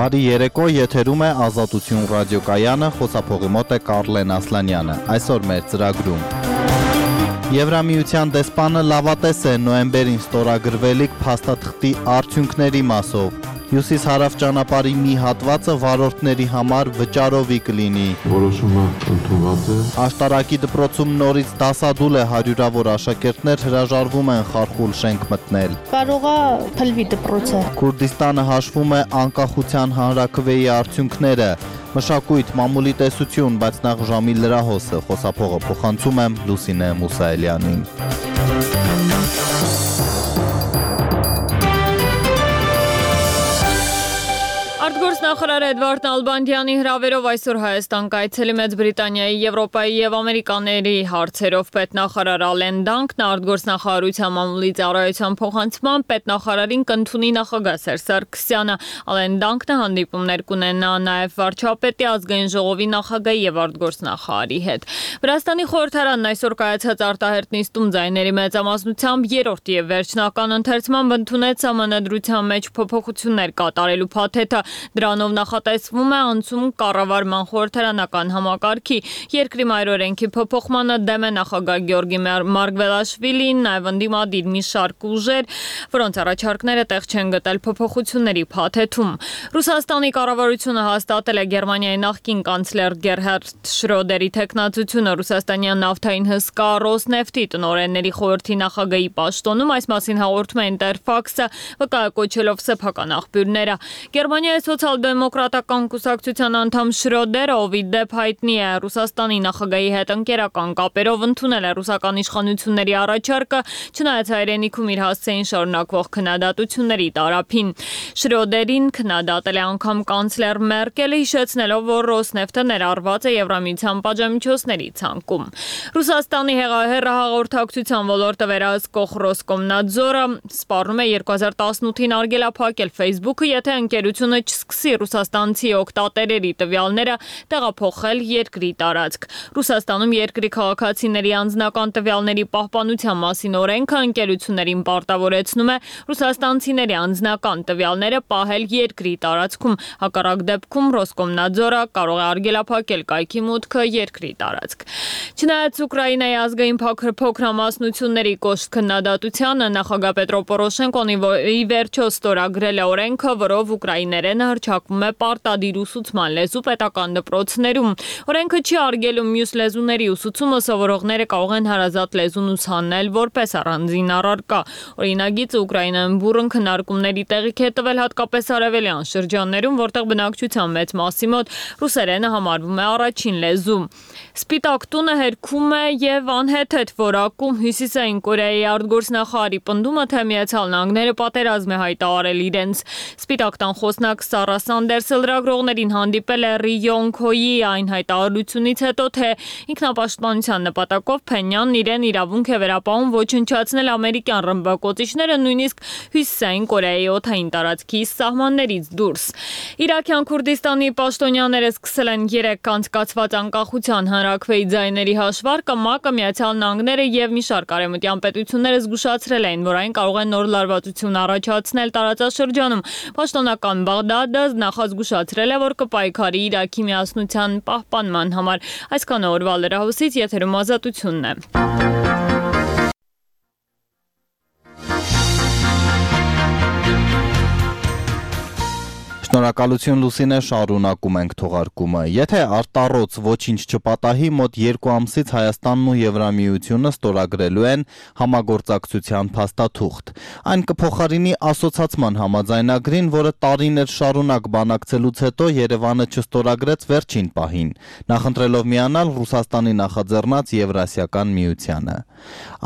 Բարի երեկո, եթերում է Ազատություն ռադիոկայանը, խոսափողի մոտ է Կարլեն Ասլանյանը, այսօր մեր ծրագրում։ Եվրամիության դեսպանը լավատես է նոյեմբերին ստորագրվելիք փաստաթղթի արդյունքների մասով։ Հյուսիս-հարավ ճանապարհի մի հատվածը վարորդների համար վճարովի կլինի։ Որոշումը ընդունված է։ Աշտարակի դպրոցում նորից դասադուլ է, հարյուրավոր աշակերտներ հրաժարվում են խարխուլ շենք մտնել։ Կարող է փլվի դպրոցը։ Քուրդիստանը հաշվում է անկախության հանրաքվեի արդյունքները։ Մշակույթ, մամուլի տեսություն, բայց նախ ժամի լրահոսը, խոսափողը փոխանցում եմ Լուսինե Մուսայելյանին։ Արտգործնախարար Էդվարդ Նալբանդյանի հրավերով այսօր Հայաստան կայցելի Մեծ Բրիտանիայի, Եվրոպայի եւ Ամերիկաների հարցերով պետնախարար Ալեն Դանկն արտգործնախարարության մամուլի ծառայության փոխանցման պետնախարարին կընդունի նախագահ Սերժ Սարգսյանը։ Ալեն Դանկն հանդիպումներ կունենա նաեւ վարչապետի, ազգային ժողովի նախագահի եւ արտգործնախարարի հետ։ Վրաստանի խորհրդարանն այսօր կայացած արտահերտ նիստում ձայների մեծամասնությամբ երրորդ եւ վերջնական ընթերցմամբ ընդունեց համանդրության մեջ փոփոխություններ կատարելու փաթեթը։ Դրանով նախատեսվում է անցում կառավարման խորհրդարանական համակարգի, երկրի մայրօրենքի փոփոխմանը դեմ է նախագահ Գյորգի Մարգվելաշվիլին, նաև ընդդիմադիր մի շարք ուժեր, որոնց առաջարկները տեղ չեն գտել փոփոխությունների փաթեթում։ Ռուսաստանի կառավարությունը հաստատել է Գերմանիայի նախկին կանցլեր Գերհարդ Շրոդերի թեկնածությունը ռուսաստանյան նավթային հսկա Ռոսնեֆտի տնօրենների խորհրդի նախագահի պաշտոնում, այս մասին հաղորդում է Ինտերֆաքսը, վկայակոչելով սեփական աղբյուրները։ Գերմանիայի սոցիալ-դեմոկրատական կուսակցության անդամ Շրոդերը, ով ի դեպ հայտնի է Ռուսաստանի նախագահի հետ ընկերական կապերով, ընդունել է ռուսական իշխանությունների առաջարկը, չնայած հայրենիքում իր հասցեին շարունակվող քննադատությունների տարափին։ Շրոդերին քննադատել է անգամ կանցլեր Մերկելը, հիշեցնելով, որ Ռոսնեֆտը ներառված է Եվրամիության պատժամիջոցների ցանկում։ Ռուսաստանի հեռահաղորդակցության ոլորտը վերահսկող Ռոսկոմնadzորը սպառնում է 2018-ին արգելափակել Facebook-ը, եթե ընկերությունը չսկսի ռուսաստանցի օգտատերերի տվյալները տեղափոխել երկրի տարածք։ Ռուսաստանում երկրի քաղաքացիների անձնական տվյալների պահպանության մասին օրենքը ընկերություններին պարտավորեցնում է ռուսաստանցիների անձնական տվյալները պահել երկրի տարածքում։ Հակառակ դեպքում Ռոսկոմնadzորը կարող է արգելափակել կայքի մուտքը երկրի տարածք։ Չնայած Ուկրաինայի ազգային փոքրամասնությունների կոշտ քննադատությանը, նախագահ Պետրո Պորոշենկոն ի վերջո ստորագրել է օրենքը, որով ուկրաիներենը հռչակվում է պարտադիր ուսուցման լեզու պետական դպրոցներում։ Օրենքը չի արգելում մյուս լեզուների ուսուցումը, սովորողները կարող են հարազատ լեզուն ուսանել որպես առանձին առարկա։ Օրինագիծը Ուկրաինայում բուռն քննարկումների տեղիք է տվել հատկապես արևելյան շրջաններում, որտեղ բնակչության մեծ մասի մոտ ռուսերենը համարվում է առաջին լեզու։ Սպիտակ տունը հերքում է եւ անհեթեթ որակում Հյուսիսային Կորեայի արտգործնախարարի պնդումը, թե Միացյալ Նահանգները պատերազմ է հայտարարել իրենց։ Սպիտակ տան խոսնակ Սարա Սանդերսը լրագրողներին հանդիպել է Րի Յոնգ-հոյի այն հայտարարությունից հետո, թե ինքնապաշտպանության նպատակով Փենյանն իրեն իրավունք է վերապահում ոչնչացնել ամերիկյան ռմբակոծիչները նույնիսկ Հյուսիսային Կորեայի օդային տարածքի սահմաններից դուրս։ Իրաքյան Քուրդիստանի պաշտոնյաները սկսել են 3 անցկացված անկախության հանրաքվեի ձայների հաշվարկը, ՄԱԿ-ը, Միացյալ Նահանգները եւ մի շարք արևմտյան պետությունները զգուշացրել էին, որ այն կարող է նոր լարվածություն առաջացնել տարածաշրջանում։ Պաշտոնական Բաղդադը նախազգուշացրել է, որ կպայքարի Իրաքի միասնության պահպանման համար։ Այսքանը օրվա լրահոսից, եթերում Ազատությունն է։ Շնորհակալություն Լուսինե, շարունակում ենք թողարկումը։ Եթե արտառոց ոչինչ չպատահի, մոտ 2 ամսից Հայաստանն ու Եվրամիությունը ստորագրելու են համագործակցության փաստաթուղթ։ Այն կփոխարինի ասոցացման համաձայնագրին, որը տարիներ շարունակ բանակցելուց հետո Երևանը չստորագրեց վերջին պահին, նախընտրելով միանալ Ռուսաստանի նախաձեռնած Եվրասիական միությանը։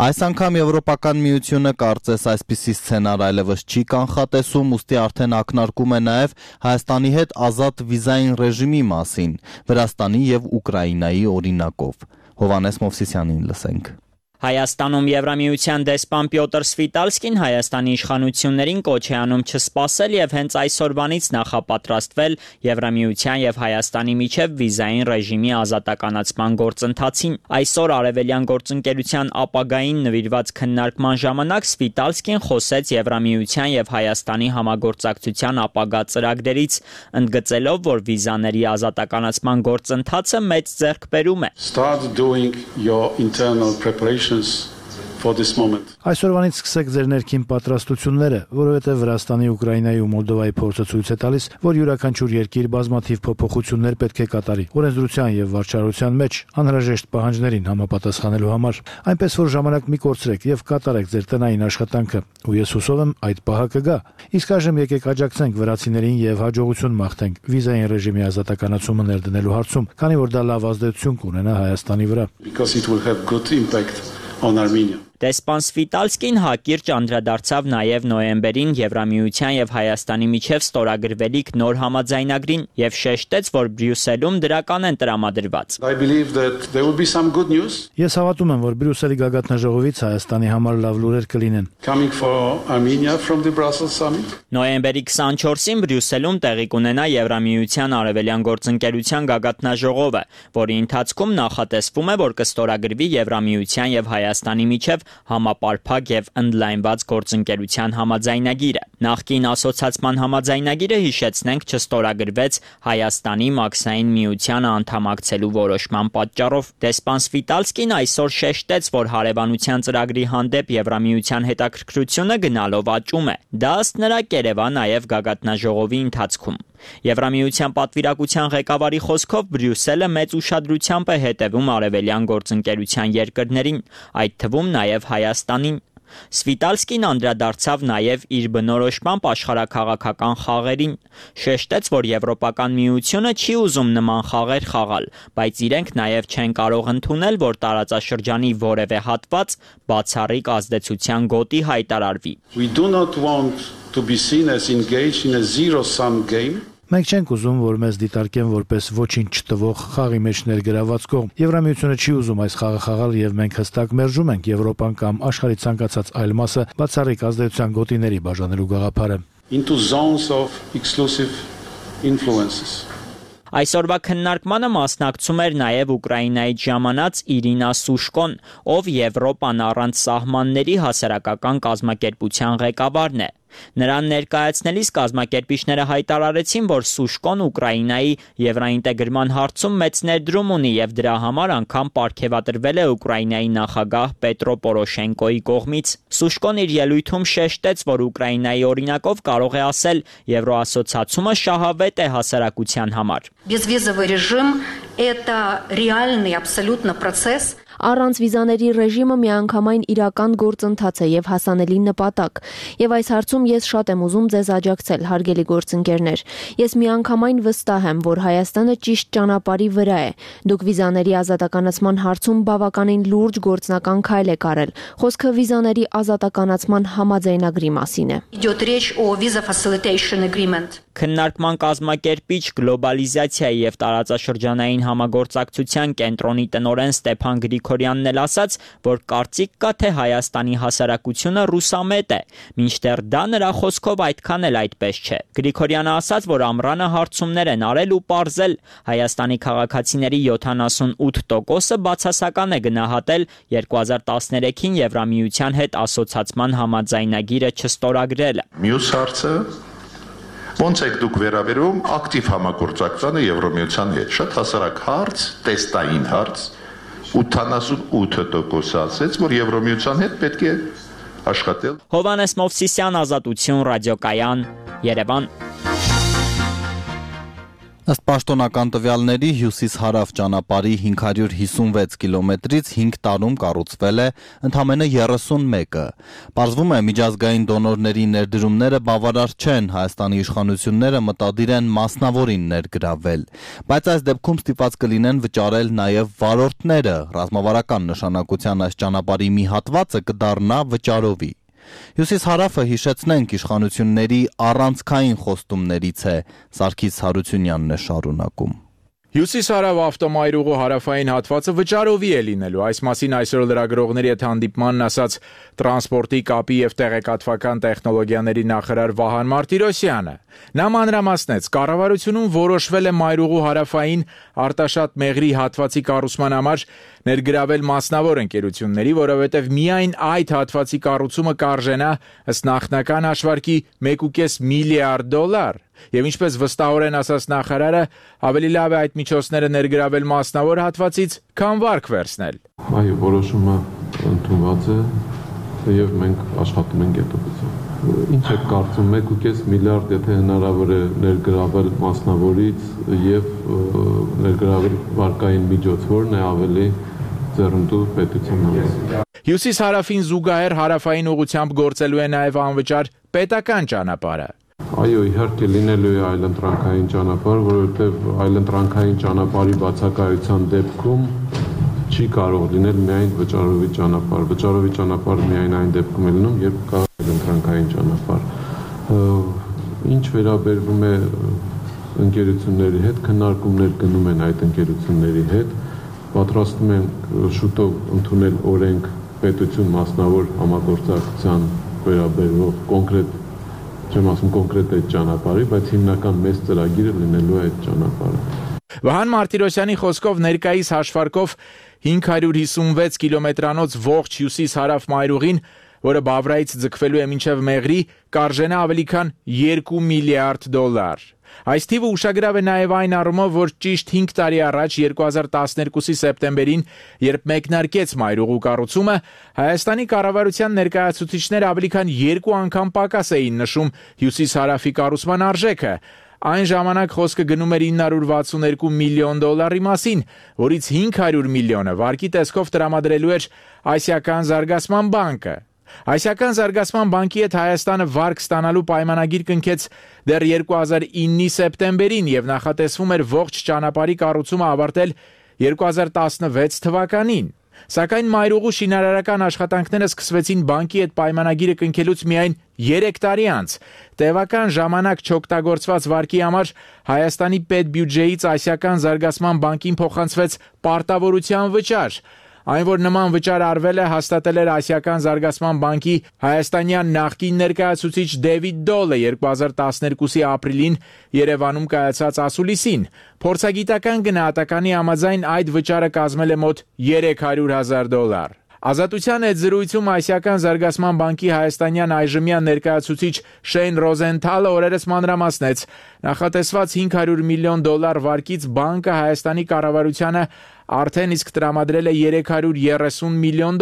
Այս անգամ Եվրոպական միությունը կարծես այսպիսի սցենար այլևս չի կանխատեսում, ուստի արդեն ակնարկում է նաև Հայաստանի հետ ազատ վիզային ռեժիմի մասին, Վրաստանի եւ Ուկրաինայի օրինակով։ Հովհաննես Մովսիսյանին լսենք։ Հայաստանում Եվրամիության դեսպան Պյոտր Սվիտալսկին Հայաստանի իշխանություններին կոչ է անում չսպասել եւ հենց այսօրվանից նախապատրաստվել Եվրամիության եւ Հայաստանի միջև վիզային ռեժիմի ազատականացման գործընթացին։ Այսօր Արևելյան գործընկերության ապագային նվիրված քննարկման ժամանակ Սվիտալսկին խոսեց Եվրամիության եւ Հայաստանի համագործակցության ապագա ծրագրերից, ընդգծելով, որ վիզաների ազատականացման գործընթացը մեծ ձեռքբերում է։ Start doing your internal preparations for this moment. Այսօրվանից սկսեք ձեր ներքին պատրաստությունները, որովհետև Վրաստանի, Ուկրաինայի ու Մոլդովայի փորձը ցույց է տալիս, որ յուրաքանչյուր երկիր բազմաթիվ փոփոխություններ պետք է կատարի օրենսդրության եւ վարչարության մեջ անհրաժեշտ պահանջներին համապատասխանելու համար, այնպես որ ժամանակ մի կորցրեք եւ կատարեք ձեր տնային աշխատանքը, ու ես հուսով եմ այդ պահը կգա։ Իսկ այժմ եկեք աջակցենք վրացիներին եւ հաջողություն մաղթենք վիզային ռեժիմի ազատականացումը ներդնելու հարցում, քանի որ դա լավ ազդեցություն կունենա Հայաստանի վրա։ Because it will have good impact on Armenia. Դեսպան Սվիտալսկին հակիրճ անդրադարձավ նաև նոյեմբերին Եվրամիության եւ Հայաստանի միջև ստորագրվելիք նոր համաձայնագրին եւ շեշտեց, որ Բրյուսելում դրական են տրամադրված։ I believe that there will be some good news. Ես հավատում եմ, որ Բրյուսելի գագաթնաժողովից Հայաստանի համար լավ լուրեր կլինեն։ Coming for Armenia from the Brussels summit. Նոյեմբերի 24-ին Բրյուսելում տեղի կունենա Եվրամիության Արևելյան գործընկերության գագաթնաժողովը, որի ընթացքում նախատեսվում է, որ կստորագրվի Եվրամիության եւ Հայաստանի միջև համապարփակ եւ ընդլայնված գործընկերության համաձայնագիրը։ Նախկին ասոցիացման համաձայնագիրը, հիշեցնենք, չստորագրվեց Հայաստանի Մաքսային միությանը անդամակցելու որոշման պատճառով։ Դեսպան Սվիտալսկին այսօր շեշտեց, որ հարևանության ծրագրի հանդեպ Եվրամիության հետաքրքրությունը գնալով աճում է։ Դա ըստ նրա կերևա նաև գագաթնաժողովի ընթացքում։ Եվրամիության պատվիրակության ղեկավարի խոսքով Բրյուսելը մեծ ուշադրությամբ է հետևում արևելյան գործընկերության երկրներին, այդ թվում նաև Հայաստանին։ Սվիտալսկին անդրադարձավ նաև իր բնորոշմամբ աշխարհաքաղաքական խաղերին, շեշտեց, որ Եվրոպական միությունը չի ուզում նման խաղեր խաղալ, բայց իրենք նաև չեն կարող ընդունել, որ տարածաշրջանի որևէ հատված բացառիկ ազդեցության գոտի հայտարարվի։ We do not want to be seen as engaged in a zero-sum game. Մենք չենք ուզում, որ մեզ դիտարկեն որպես ոչինչ չտվող խաղի մեջ ներգրաված կողմ։ Եվրամիությունը չի ուզում այս խաղը խաղալ եւ մենք հստակ մերժում ենք Եվրոպան կամ աշխարհի ցանկացած այլ մասը բացառիկ ազդեցության գոտիների բաժանելու գաղափարը։ Into zones of exclusive influences. Այսօրվա քննարկմանը մասնակցում էր նաև Ուկրաինայից ժամանած Իրինա Սուշկոն, ով Եվրոպան առանց սահմանների հասարակական կազմակերպության ղեկավարն է։ Նրան ներկայացնելիս կազմակերպիչները հայտարարեցին, որ Սուշկոն Ուկրաինայի եվրաինտեգրման հարցում մեծ ներդրում ունի եւ դրա համար անգամ պարգևատրվել է Ուկրաինայի նախագահ Պետրո Պորոշենկոյի կողմից։ Սուշկոն իր ելույթում շեշտեց, որ Ուկրաինայի օրինակով կարող է ասել, Եվրոասոցիացումը շահավետ է հասարակության համար։ Безвизовый режим – это реальный абсолютно процесс. Առանց վիզաների ռեժիմը միանգամայն իրական գործընթաց է եւ հասանելի նպատակ։ Եվ այս հարցում ես շատ եմ ուզում ձեզ աջակցել, հարգելի գործընկերներ։ Ես միանգամայն վստահ եմ, որ Հայաստանը ճիշտ ճանապարհի վրա է։ Դուք վիզաների ազատականացման հարցում բավականին լուրջ գործնական քայլ եք արել։ Խոսքը վիզաների ազատականացման համաձայնագրի մասին է։ Идет речь о visa facilitation agreement. Քննարկման կազմակերպիչ գլոբալիզացիայի եւ տարածաշրջանային համագործակցության կենտրոնի տնօրեն Ստեփան Գրիգորյանն էլ ասաց, որ կարծիք կա, թե Հայաստանի հասարակությունը ռուսամետ է, մինչդեռ դա նրա խոսքով այդքան էլ այդպես չէ։ Գրիգորյանը ասաց, որ ամռանը հարցումներ են արել ու պարզել, Հայաստանի քաղաքացիների 78%-ը բացասական է գնահատել 2013-ին Եվրամիության հետ ասոցիացման համաձայնագիրը չստորագրելը։ Մյուս հարցը ոնց եք դուք վերաբերում ակտիվ համագործակցությանը Եվրամիության հետ։ Շատ հասարակ հարց, տեստային հարց, 88% ասեց, որ Եվրամիության հետ պետք է աշխատել։ Հովհաննես Մովսիսյան, Ազատություն, Ռադիոկայան, Երևան։ Ըստ պաշտոնական տվյալների հյուսիս-հարավ ճանապարհի 556 կիլոմետրից 5 տարում կառուցվել է ընդամենը 31-ը։ Պարզվում է, միջազգային դոնորների ներդրումները բավարար չեն, Հայաստանի իշխանությունները մտադիր են մասնավորին ներգրավել։ Բայց այս դեպքում ստիպված կլինեն վճարել նաև վարորդները, ռազմավարական նշանակության այս ճանապարհի մի հատվածը կդառնա վճարովի։ Հյուսիս-հարավը, հիշեցնենք, իշխանությունների առանցքային խոստումներից է, Սարգիս Հարությունյանն է շարունակում։ Հյուսիս-հարավ ավտոմայրուղու հարավային հատվածը վճարովի է լինելու։ Այս մասին այսօր լրագրողների հետ հանդիպմանն ասաց տրանսպորտի, կապի եւ տեղեկատվական տեխնոլոգիաների նախարար Վահան Մարտիրոսյանը։ Նա մանրամասնեց, կառավարությունում որոշվել է մայրուղու հարավային արտաշատ մեղրի հատվածի կառուցման համար ներգրավել մասնավոր ընկերությունների, որովհետև միայն այդ հատվածի կառուցումը կարժենա ըստ նախնական հաշվարկի $1.5 միլիարդ։ Եվ ինչպես վստահորեն ասաց նախարարը, ավելի լավ է այդ միջոցները ներգրավել մասնավոր հատվածից, քան վարկ վերցնել։ Այո, որոշումը ընդունված է եւ մենք աշխատում ենք այդ ուղղությամբ։ Ինչ եք կարծում, $1.5 միլիարդ, եթե հնարավոր է ներգրավել մասնավորից եւ ներգրավել վարկային միջոց, որն է ավելի ձեռնտու պետության համար։ Հյուսիս-հարավին զուգահեռ հարավային ուղղությամբ գործելու է նաեւ անվճար պետական ճանապարհը։ Այո, իհարկե լինելու է այլընտրանքային ճանապարհ, որովհետև այլընտրանքային ճանապարհի բացակայության դեպքում չի կարող լինել միայն վճարովի ճանապարհ։ Վճարովի ճանապարհը միայն այն դեպքում է լինում, երբ կա այլընտրանքային ճանապարհ։ Ինչ վերաբերվում է ընկերությունների հետ, քննարկումներ գնում են այդ ընկերությունների հետ, պատրաստում են շուտով ընդունել օրենք պետություն մասնավոր համագործակցության վերաբերող կոնկրետ չեմ ասում կոնկրետ այդ ճանապարհի, բայց հիմնական մեծ ծրագիրը լինելու է այդ ճանապարհը։ Վահան Մարտիրոսյանի խոսքով ներկայիս հաշվարկով 556 կիլոմետրանոց ողջ հյուսիս-հարավ մայրուղին, որը Բավրայից ձգվելու է մինչև Մեղրի, կարժենա ավելի քան $2 միլիարդ։ Այս թիվը ուշագրավ է նաև այն առումով, որ ճիշտ 5 տարի առաջ 2012-ի սեպտեմբերին, երբ մեկնարկեց մայրուղու կառուցումը, Հայաստանի կառավարության ներկայացուցիչները ավելի քան 2 անգամ պակաս էին նշում հյուսիս-հարավի կառուցման արժեքը։ Այն ժամանակ խոսքը գնում էր $962 միլիոն մասին, որից 500 միլիոնը վարկի տեսքով տրամադրելու էր Ասիական զարգացման բանկը։ Ասիական զարգացման բանկի հետ Հայաստանը վարկ ստանալու պայմանագիր կնքեց դեռ 2009-ի սեպտեմբերին եւ նախատեսվում էր ողջ ճանապարհի կառուցումը ավարտել 2016 թվականին։ Սակայն մայրուղու շինարարական աշխատանքները սկսվեցին բանկի հետ պայմանագիրը կնքելուց միայն 3 տարի անց։ Տևական ժամանակ չօգտագործված վարկի համար Հայաստանի պետբյուջեից Ասիական զարգացման բանկին փոխանցվեց պարտավորության վճար։ Այն, որ նման վճար արվել է, հաստատել էր Ասիական զարգացման բանկի հայաստանյան նախկին ներկայացուցիչ Դեվիդ Դոլը 2012-ի ապրիլին Երևանում կայացած ասուլիսին։ Փորձագիտական գնահատականի համաձայն այդ վճարը կազմել է մոտ $300,000։ Ազատության հետ զրույցում Ասիական զարգացման բանկի հայաստանյան այժմյան ներկայացուցիչ Շեյն Ռոզենթալը օրերս մանրամասնեց, նախատեսված $500 միլիոն վարկից բանկը Հայաստանի կառավարությանը արդեն իսկ տրամադրել է $330 միլիոն,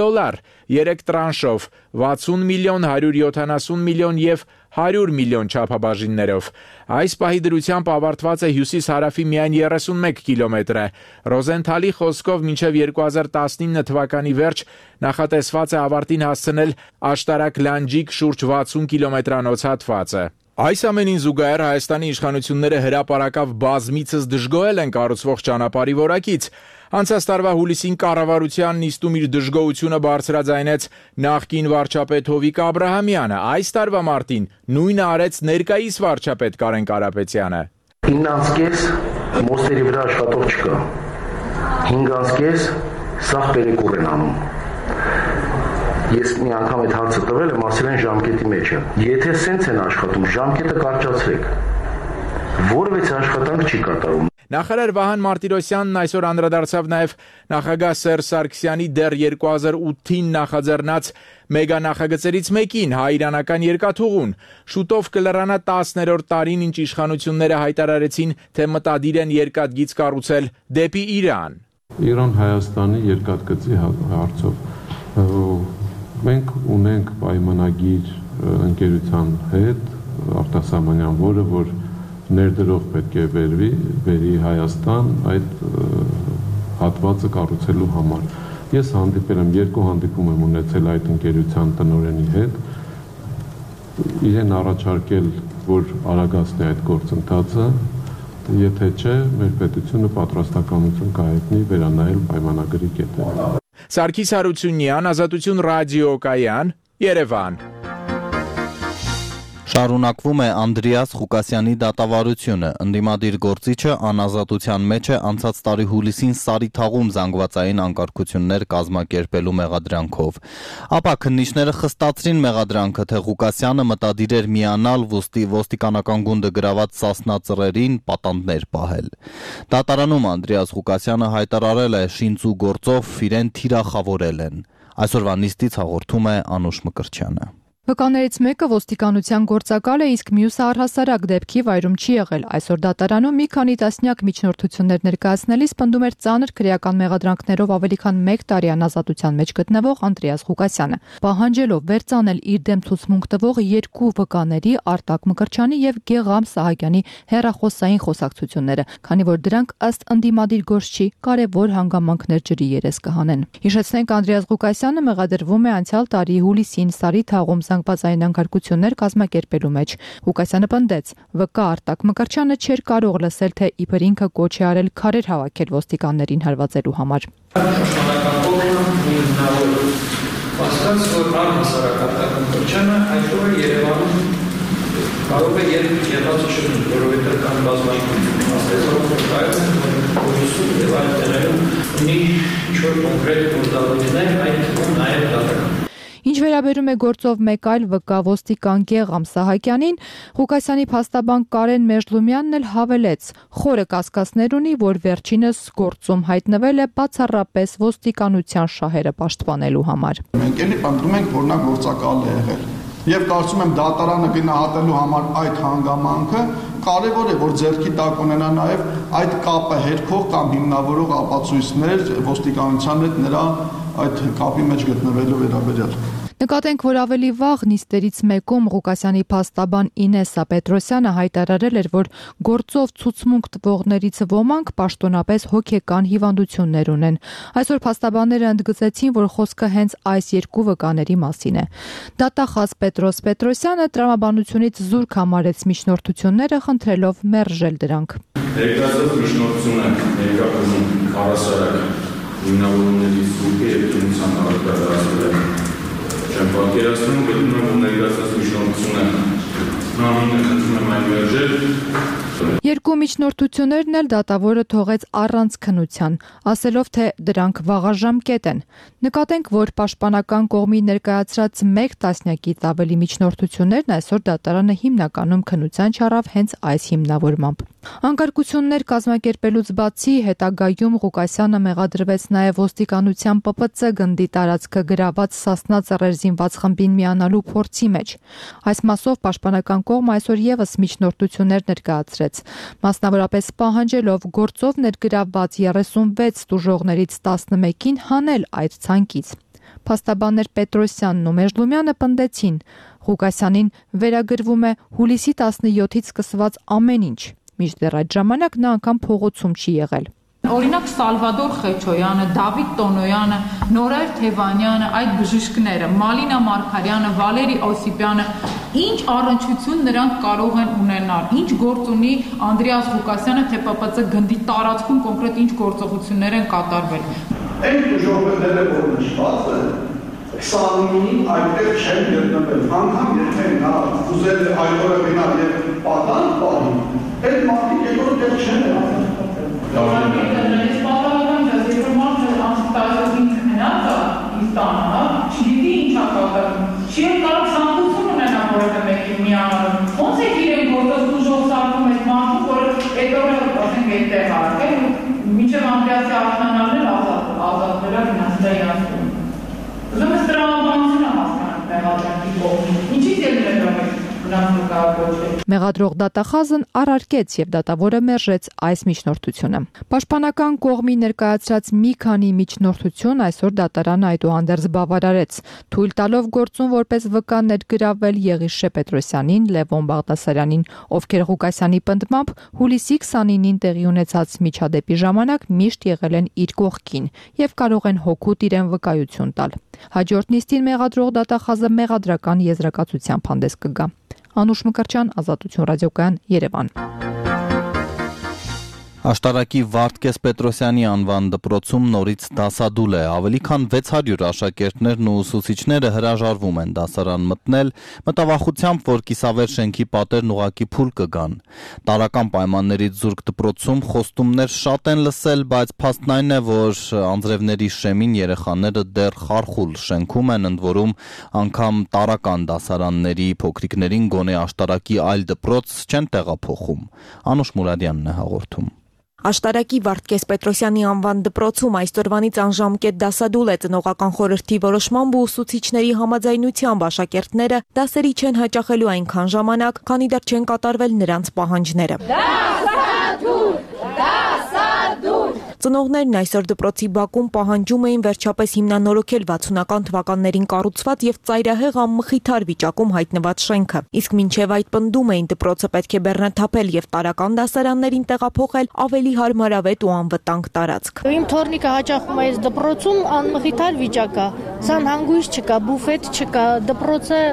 3 տրանշով, 60 միլիոն, 170 միլիոն եւ 100 միլիոն չափաբաժիններով։ Այս պահի դրությամբ ավարտված է հյուսիս-հարավի միայն 31 կիլոմետրը։ Ռոզենթալի խոսքով մինչև 2019 թվականի վերջ նախատեսված է ավարտին հասցնել աշտարակ-Լանջիկ շուրջ 60 կիլոմետրանոց հատվածը։ Այս ամենին զուգահեռ Հայաստանի իշխանությունները հրապարակավ բազմիցս դժգոհել են կառուցվող ճանապարհի որակից։ Անցած տարվա հուլիսին կառավարության նիստում իր դժգոհությունը բարձրաձայնեց նախկին վարչապետ Հովիկ Աբրահամյանը։ Այս տարվա մարտին նույնը արեց ներկայիս վարչապետ Կարեն Կարապետյանը։ 9.5 մոստերի վրա աշխատող չկա։ 5.5 սաղ պերեկուր են անում։ Ես մի անգամ այդ հարցը տվել եմ, ասել են ժամկետի մեջ է։ Եթե սենց են աշխատում, ժամկետը կարճացրեք։ Որևէ աշխատանք չի կատարում։ Նախարար Վահան Մարտիրոսյանն այսօր անդրադարձավ նաև նախագահ Սերժ Սարգսյանի դեռ 2008-ին նախաձեռնած մեգա նախագծերից մեկին՝ հայ-իրանական երկաթուղուն։ Շուտով կլրանա 10-րդ տարին, ինչ իշխանությունները հայտարարեցին, թե մտադիր են երկաթգիծ կառուցել դեպի Իրան։ Իրան-Հայաստանի երկաթգծի հարցով մենք ունենք պայմանագիր ընկերության հետ արտասահմանյան, որ ներդրող պետք է բերի Հայաստան այդ հատվածը կառուցելու համար։ Ես հանդիպել եմ, 2 հանդիպում եմ ունեցել այդ ընկերության տնօրենի հետ, իրեն առաջարկել, որ արագացնի այդ գործընթացը, եթե չէ, մեր պետությունը պատրաստակամություն կհայտնի վերանայել պայմանագրի կետերը։ Սարգիս Հարությունյան, Ազատություն ռադիոկայան, Երևան։ Շարունակվում է Անդրեաս Ղուկասյանի դատավարությունը։ Ընդդիմադիր գործիչը անազատության մեջ է անցած տարի հուլիսին Սարիթաղում զանգվածային անկարգություններ կազմակերպելու մեղադրանքով։ Ապա քննիչները խստացրին մեղադրանքը, թե Ղուկասյանը մտադիր էր միանալ ոստիկանական գունդը գրաված Սասնա ծռերին պատանդներ պահել։ Դատարանում Անդրեաս Ղուկասյանը հայտարարել է շինծու գործով իրեն թիրախավորել են։ Այսօրվա նիստից հաղորդում է Անուշ Մկրտչյանը։ Վկաներից մեկը ոստիկանության գործակալ է, իսկ մյուսը առհասարակ դեպքի վայրում չի եղել։ Այսօր դատարանում մի քանի տասնյակ միջնորդություններ ներկայացնելիս պնդում էր ծանր քրեական մեղադրանքներով ավելի քան 1 տարի անազատության մեջ գտնվող Անդրեաս Ղուկասյանը, պահանջելով վերծանել իր դեմ ցուցմունք տվող 2 վկաների Արտակ Մկրտչյանի եւ Գեգամ Սահակյանի հեռախոսային խոսակցությունները, քանի որ դրանք ըստ ընդդիմադիր գործչի կարևոր հանգամանքներ ջրի երես կհանեն։ Հիշեցնենք, Անդրեաս Ղուկասյանը մեղադրվում է անցյալ տարի հուլիսին Սարիթաղում զանգվածային անկարգություններ կազմակերպելու մեջ։ Ղուկասյանը պնդեց, վկա Արտակ Մկրտչյանը չէր կարող լսել, թե իբր ինքը կոչ է արել քարեր հավաքել ոստիկաններին հարվածելու համար։ Որ առհասարակ Արտակ Մկրտչյանը այսօր Երևանում կարող է եղած չլինի, որովհետև կան բազմաշերտ մասնագետներ, եւ այլ տեղերում ունի 4 կոնկրետ գործառույթներ, այդ թվում նաեւ դատարան։ Ինչ վերաբերում է գործով մեկ այլ վկա ոստիկան Գեգամ Սահակյանին, Ղուկասյանի փաստաբան Կարեն Մեժլումյանն էլ հավելեց. խորը կասկածներ ունի, որ վերջինս գործում հայտնվել է բացառապես ոստիկանության շահերը պաշտպանելու համար։ Մենք էլի պնդում ենք, որ նա գործակալ է եղել։ Եվ կարծում եմ դատարանը գնահատելու համար այդ հանգամանքը կարևոր է, որ ձեռքի տակ ունենա նաև այդ կապը հերքող կամ հիմնավորող ապացույցներ ոստիկանության հետ նրա այդ կապի մեջ գտնվելու վերաբերյալ։ Նկատենք, որ ավելի վաղ նիստերից մեկում Ղուկասյանի փաստաբան Ինեսա Պետրոսյանը հայտարարել էր, որ գործով ցուցմունք տվողներից ոմանք պաշտոնապես հոգեկան հիվանդություններ ունեն։ Այսօր փաստաբանները ընդգծեցին, որ խոսքը հենց այս 2 վկաների մասին է։ Դատախազ Պետրոս Պետրոսյանը տրամաբանությունից զուրկ համարեց միջնորդությունները, խնդրելով մերժել դրանք։ Ներկայացված միջնորդությունը ներկայացնում առասարակ հիմնավորումների զուրկի եւ քննության արտադրացվել է։ Չեմ պատկերացնում, գտնում եմ, որ ներկայացված միջնորդությունը նամինը խնդրում եմ այն մերժել։ 2 միջնորդություններն էլ դատավորը թողեց առանց քննության, ասելով, թե դրանք վաղաժամկետ են։ Նկատենք, որ պաշտպանական կողմի ներկայացրած 1 տասնյակից ավելի միջնորդություններն այսօր դատարանը հիմնականում քննության չառավ հենց այս հիմնավորմամբ։ Անկարգություններ կազմակերպելուց բացի հետագայում Ղուկասյանը մեղադրվեց նաև ոստիկանության ՊՊՑ գնդի տարածքը գրաված Սասնա ծռեր զինված խմբին միանալու փորձի մեջ։ Այս մասով պաշտպանական կողմը այսօր եւս միջնորդություններ ներկայացրեց, մասնավորապես պահանջելով գործով ներգրավված 36 տուժողներից 11-ին հանել այդ ցանկից։ Փաստաբաններ Պետրոսյանն ու Մեժլումյանը պնդեցին, Ղուկասյանին վերագրվում է հուլիսի 17-ից սկսված ամեն ինչ։ Մինչդեռ այդ ժամանակ նա անգամ փողոցում չի եղել։ Օրինակ Սալվադոր Խեչոյանը, Դավիթ Տոնոյանը, Նորայր Թևանյանը, այդ բժիշկները, Մալինա Մարգարյանը, Վալերի Օսիպյանը, ինչ առնչություն նրանք կարող են ունենալ, ինչ գործ ունի Անդրեաս Ղուկասյանը, թե ՊՊՑ գնդի տարածքում կոնկրետ ինչ գործողություններ են կատարվել։ Այն ժողովուրդները, որ նշված են, 29-ին այդտեղ չեն գտնվել, անգամ եթե նա ուզել է այդ օրը գնալ եւ պատանդ պահի, այդ մարդիկ երկրորդ դեպք չեն եղել։ Ես պատահական չես, երբ մարդը անցտայում քնած է Իստանը, չգիտի ինչ է կատարում, չի կարող ցանկություն ունենա որևէ մեկին միանալու։ Ոնց է իրեն գործով դժոխ սարքում այդ մարդը, որ այդ օրը ասենք այդտեղ արել, մինչև Անդրեասի արթնանալն ազատվել է վնասների ասում։ Ուզում ես տրամաբանությունը հասկանալ մեղադրանքի կողմից, ինչի՞ց ելնել է Մեղադրող դատախազն առարկեց եւ դատավորը մերժեց այս միջնորդությունը։ Պաշտպանական կողմի ներկայացրած մի քանի միջնորդություն այսօր դատարանը այդուհանդերձ բավարարեց, թույլ տալով գործուն որպես վկա ներգրավել Եղիշե Պետրոսյանին, Լևոն Բաղդասարյանին, ովքեր Ղուկասյանի պնդմամբ հուլիսի 29-ին տեղի ունեցած միջադեպի ժամանակ միշտ եղել են իր կողքին եւ կարող են հօգուտ իրեն վկայություն տալ։ Հաջորդ նիստին մեղադրող դատախազը մեղադրական եզրակացությամբ հանդես կգա։ Անուշ Մկրտչյան, Ազատություն ռադիոկայան, Երևան։ Աշտարակի Վարդգես Պետրոսյանի անվան դպրոցում նորից դասադուլ է, ավելի քան 600 աշակերտներն ու ուսուցիչները հրաժարվում են դասարան մտնել, մտավախությամբ, որ կիսավեր շենքի պատերն ուղակի փուլ կգան։ Տարրական պայմաններից զուրկ դպրոցում խոստումներ շատ են լսել, բայց փաստն այն է, որ անձրևների շեմին երեխաները դեռ խարխուլ շենքում են, ընդ որում անգամ տարրական դասարանների փոքրիկներին գոնե Աշտարակի այլ դպրոց չեն տեղափոխում։ Անուշ Մուրադյանն է հաղորդում։ Աշտարակի Վարդգես Պետրոսյանի անվան դպրոցում այսօրվանից անժամկետ դասադուլ է ծնողական խորհրդի որոշմամբ ու ուսուցիչների համաձայնությամբ աշակերտները դասերի չեն հաճախելու այնքան ժամանակ, քանի դեռ չեն կատարվել նրանց պահանջները։ Ծնողներն այսօր դպրոցի բակում պահանջում էին վերջապես հիմնանորոգել 60-ական թվականներին կառուցված եւ ծայրահեղ անմխիթար վիճակում հայտնված շենքը։ Իսկ մինչեւ այդ պնդում էին դպրոցը պետք է բեռնաթափել եւ տարրական դասարաններին տեղափոխել ավելի հարմարավետ ու անվտանգ տարածք։ Իմ թորնիկը հաճախում է այս դպրոցում անմխիթար վիճակ է։ Սան հանգույց չկա, բուֆետ չկա, դպրոցը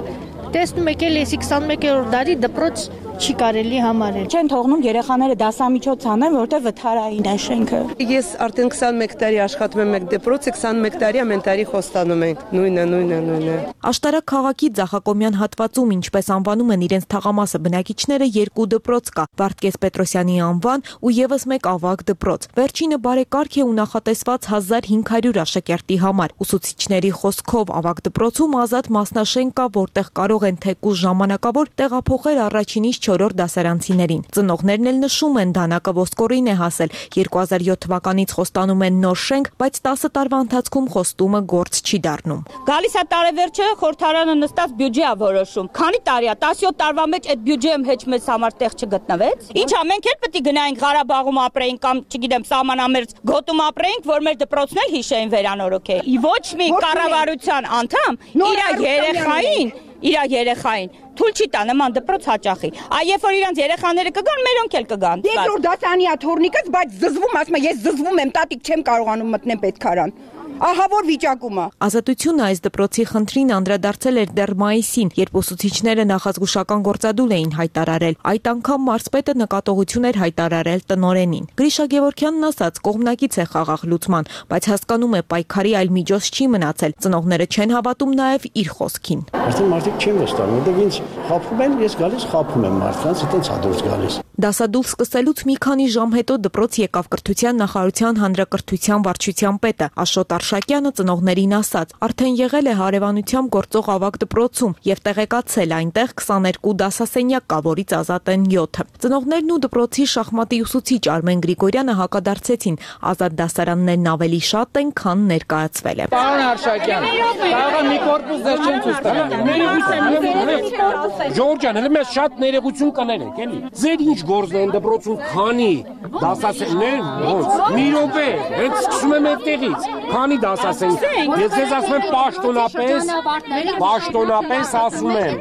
տեսնում եք էլ էսի 21-րդ դարի դպրոց չի կարելի համարել։ Չեն թողնում երեխաները դասամիջոց անեն, որտեղ վթարային է շենքը։ Ես արդեն 21 տարի աշխատում եմ մեկ դպրոցի, 21 տարի ամեն տարի խոստանում ենք։ Նույնը։ Աշտարակ քաղաքի Ձախակոմյան հատվածում, ինչպես անվանում են իրենց թաղամասը բնակիչները, 2 դպրոց կա՝ Վարդգես Պետրոսյանի անվան ու եւս մեկ ավագ դպրոց։ Վերջինը բարեկարգ է ու նախատեսված 1500 աշակերտի համար։ Ուսուցիչների խոսքով ավագ դպրոցում ազատ մասնաշենք կա, որտեղ կարող են թեկուզ ժամանակավոր տեղափոխել առաջինից 4-րդ դասարանցիներին։ Ծնողներն էլ նշում են, դանակը ոսկորին է հասել։ 2007 թվականից խոստանում են նոր շենք, բայց 10 տարվա ընթացքում խոստումը գործ չի դառնում։ Գալիս է տարեվերջը, խորհրդարանը նստած բյուջե է որոշում։ Քանի տարի է, 17 տարվա մեջ այդ բյուջեում հեչ մեզ համար տեղ չգտնվեց։ Ինչա, մենք էլ պետք է գնայինք Ղարաբաղում ապրեինք կամ, չգիտեմ, սահմանամերձ գոտում ապրեինք, որ մեր դպրոցն էլ հիշեին վերանորոգել։ Ոչ մի կառավարության անդամ իր երեխային թույլ չի տա նման դպրոց հաճախի։ Երբ որ իրանց երեխաները կգան, մերոնք էլ կգան։ Երկրորդ դասարանի թորնիկս, բայց զզվում, ասում եմ, ես զզվում եմ, տատիկ չեմ կարողանում մտնեմ պետքարան։ Ահա որ վիճակումը։ Ազատությունը այս դպրոցի խնդրին անդրադարձել էր դեռ մայիսին, երբ ուսուցիչները նախազգուշական գործադուլ էին հայտարարել։ Այդ անգամ մարզպետը նկատողություն էր հայտարարել տնօրենին։ Գրիշա Գևորգյանն ասաց, կողմնակից է խաղաղ լուծման, բայց հասկանում է պայքարի այլ միջոց չի մնացել։ Ծնողները չեն հավատում նաև իր խոսքին։ Արդեն մարդիկ չեն վստահում, որտեղ ինձ խաբում են, ես գալիս խաբում եմ մարդկանց, այդտենց հադուրս գալիս։ Դասադուլ սկսելուց մի քանի ժամ հետո դպրոց եկավ կրթության նախարարության հանրակրթության վարչության պետը Աշոտ Արշակյանը ծնողներին ասաց, արդեն եղել է հարևանությամբ գործող ավագ դպրոցում եւ տեղեկացել այնտեղ 22 դասասենյակ կա, որից ազատ են 7։ Ծնողներն ու դպրոցի շախմատի ուսուցիչ Արմեն Գրիգորյանը հակադարձեցին, ազատ դասարաններն ավելի շատ են, քան ներկայացվել է։ Պարոն Արշակյան, կարող է մի կորպուս դեռ չեն ցույց տվել։ Ժորժան, հենց մեզ շատ ներողություն կներեք, էլի։ Ձեր ինչ գործն են դպրոցում քանի դասասեններ, ոնց։ Մի րոպե, հենց սկսում եմ այդտեղից։ Քանի դասասեն։ Ես ձեզ ասում եմ պաշտոնապես ասում եմ։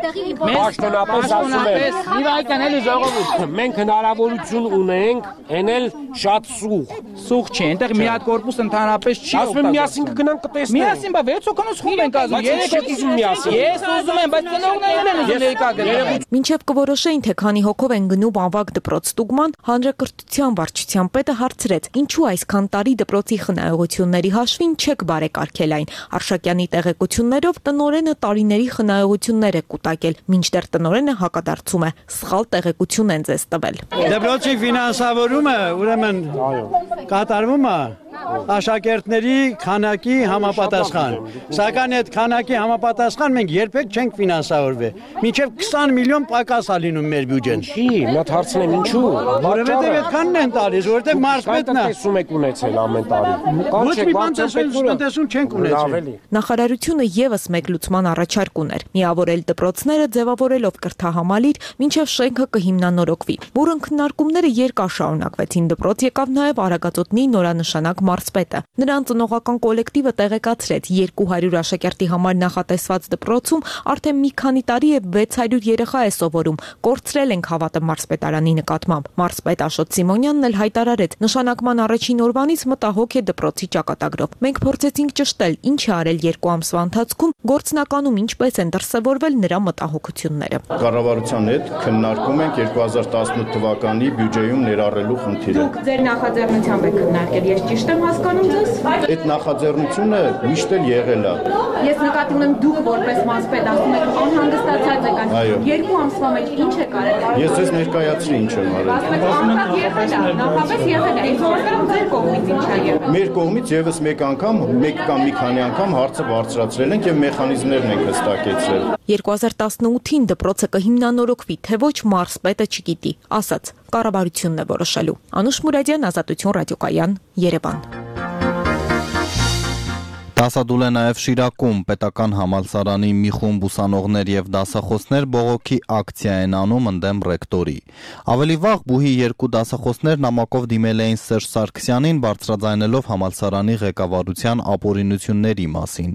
Իվայքան էլի ժողովուրդ։ Մենք հնարավորություն ունենք էնել շատ սուղ չի, այնտեղ մի հատ կորպուս ընդհանրապես չի օգտագործվում։ Ասում եմ միասին կգնանք կտեսնենք։ Միասին, բա 6 հոգանոց խումբ ենք ազում։ 3 հոգի ուզում միասին։ Ես ուզում եմ, բայց ծնողներն են ուզում ներկա գնալ։ Մինչև կորոշեին, թե քանի հոգով են գնում ավագ դպրոց ստուգման, հանրակրթության վարչության պետը հարցրեց, ինչու այսքան տարի դպրոցի խնայողությունների հաշվին չեք բարեկարգել այն։ Արշակյանի տեղեկություններով տնօրենը տարիների խնայողություններ է կուտակել, մինչդեռ տնօրենը հակադարձում է, սխալ տեղեկություն են ձեզ տվել։ Դպրոցի ֆինանսավորումը, ուրեմն կատարվում է աշակերտների քանակի համապատասխան։ Սակայն այդ քանակի համապատասխան մենք երբեք չենք ֆինանսավորվել։ Մինչև 20 միլիոն պակաս է լինում մեր բյուջեն։ Չի, մոտ հարցնեմ ինչու։ Որովհետև այդքանն են տալիս, որովհետև մարզպետն է։ Տեսում եք ունեցել ամեն տարի։ Ոչ մի բան տնտեսություն չենք ունեցել։ Նախարարությունը եւս մեկ լուծման առաջարկ ուներ՝ միավորել դպրոցները ձևավորելով կրթահամալիր, մինչև շենքը կհիմնանորոգվի։ Որն քննարկումները երկար շարունակվեցին, դպրոց եկավ նաև Արագածոտնի նորանշանակ մարզպետը։ Նրան ծնողական կոլեկտիվը տեղեկացրեց 200 աշակերտի համար նախատեսված դպրոցում արդեն մի քանի տարի է 600 երեխա է սովորում։ Կորցրել ենք հավատը մարզպետարանի նկատմամբ։ Մարզպետ Աշոտ Սիմոնյանն էլ հայտարարեց, նշանակման առաջին օրվանից մտահոգ է դպրոցի ճակատագրով։ Մենք փորձեցինք ճշտել, ինչ է արել 2 ամսվա ընթացքում, գործնականում ինչպես են դրսևորվել նրա մտահոգությունները։ Կառավարության հետ քննարկում ենք 2018 թվականի բյուջեում ներառելու խնդիրը։ Դուք ձեր նախաձեռնությամբ եք քննարկել, ես ճիշտ եմ հասկանում ձեզ։ Այդ նախաձեռնությունը միշտ էլ եղել է։ Ես նկատի ունեմ դուք որպես մարզպետ ասում եք անհանգստացած եք, 2 ամսվա մեջ ինչ է կարել։ Ես ձեզ ներկայացրի ինչ եմ արել։ Նախապես եղել է, ինձ ձեր կողմից ինչ է եղել։ Մեր կողմից եւս մեկ կամ մի քանի անգամ հարցը բարձրացրել ենք եւ մեխանիզմներն ենք հստակեցրել։ 2018-ին դպրոցը կհիմնանորոգվի, թե ոչ մարզպետը չգիտի, ասաց, կառավարությունն է որոշելու։ Անուշ Մուրադյան, Ազատություն ռադիոկայան, Երևան։ Դասադուլ է նաև Շիրակում պետական համալսարանի մի խումբ ուսանողներ եւ դասախոսներ բողոքի ակցիա են անում ընդդեմ ռեկտորի։ Ավելի վաղ բուհի 2 դասախոսներ նամակով դիմել էին Սերժ Սարգսյանին բարձրաձայնելով համալսարանի ղեկավարության ապօրինությունների մասին,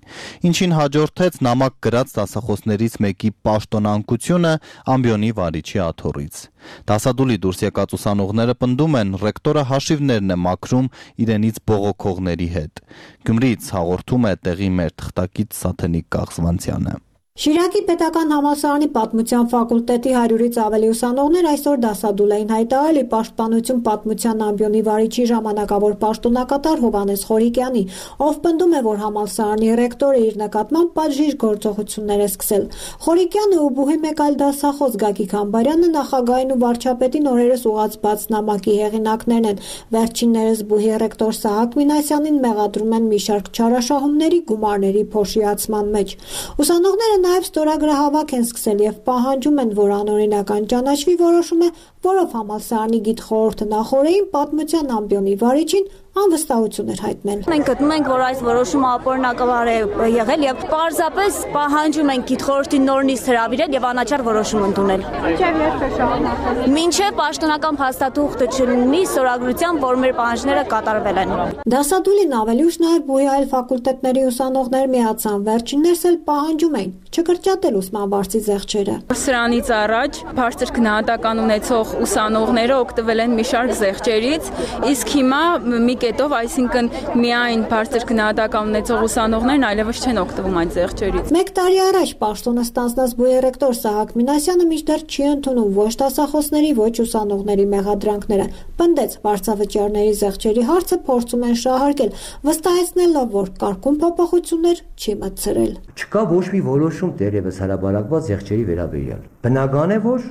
ինչին հաջորդեց նամակ գրած դասախոսներից մեկի պաշտոնանկությունը ամբիոնի վարիչի աթոռից։ Դասադուլի դուրս եկած ուսանողները պնդում են ռեկտորը հաշիվներն է մաքրում իրենից բողոքողների հետ։ Գյումրիից հաղորդում է տեղի մեր թղթակից Սաթենիկ Կաղզվանցյանը։ Շիրակի պետական համալսարանի պատմության ֆակուլտետի 100-ից ավելի ուսանողներ այսօր դասադուլ էին հայտարարել պաշտպանություն պատմության ամբիոնի վարիչի ժամանակավոր պաշտոնակատար Հովհաննես Խորիկյանի, ով պնդում է, որ համալսարանի ռեկտորը իր նկատմամբ պատժիժ գործողություններ է սկսել։ Խորիկյանը ու բուհի մեկ այլ դասախոս Գագիկ Համբարյանը նախագահային ու վարչապետին օրերս ուղղված նամակի հեղինակներն են։ Վերջիններս բուհի ռեկտոր Սահակ Մինասյանին մեղադրում են մի շարք չարաշահումների գումարների փոշիացման մեջ։ Ուսանողները նաև ստորագրահավաք են սկսել եւ պահանջում են, որ անօրինական ճանաչվի որոշումը, որով համալսարանի գիտխորհուրդը նախորդին պատմության ամբիոնի վարիչին անվստահություն էր հայտնել։ Մենք գտնում ենք, որ այս որոշումը ապօրինակավոր է եղել եւ պարզապես պահանջում ենք գիտխորհրդի նոր նիստ հրավիրել եւ անաչառ որոշում ընդունել։ Մինչեւ պաշտոնական փաստաթուղթը չլինի ստորագրությամբ, որ մեր պահանջները կատարվել են։ Դասադուլին ավելի ուշ նաև բուհի այլ ֆակուլտետների ուսանողներ միացան, վերջիններս էլ պահանջում էին չկրճատել ուսման վարձի զեղչերը։ Սրանից առաջ բարձր գնահատական ունեցող ուսանողները օգտվել են մի շարք զեղչերից, իսկ հիմա մի կետով, այսինքն միայն բարձր գնահատական ունեցող ուսանողներն այլևս չեն օգտվում այդ զեղչերից։ Մեկ տարի առաջ պաշտոնը ստանձնած բուհի ռեկտոր Սահակ Մինասյանը մինչդեռ չի ընդունում ոչ դասախոսների, ոչ ուսանողների մեղադրանքները։ Պնդեց, վարձավճարների զեղչերի հարցը փորձում են շահարկել, վստահեցնելով, որ կարգուն փոփոխություններ չի մտցրել։ Չկա ոչ մի որոշում դերևս հրաբարակված զեղչերի վերաբերյալ։ Բնական է, որ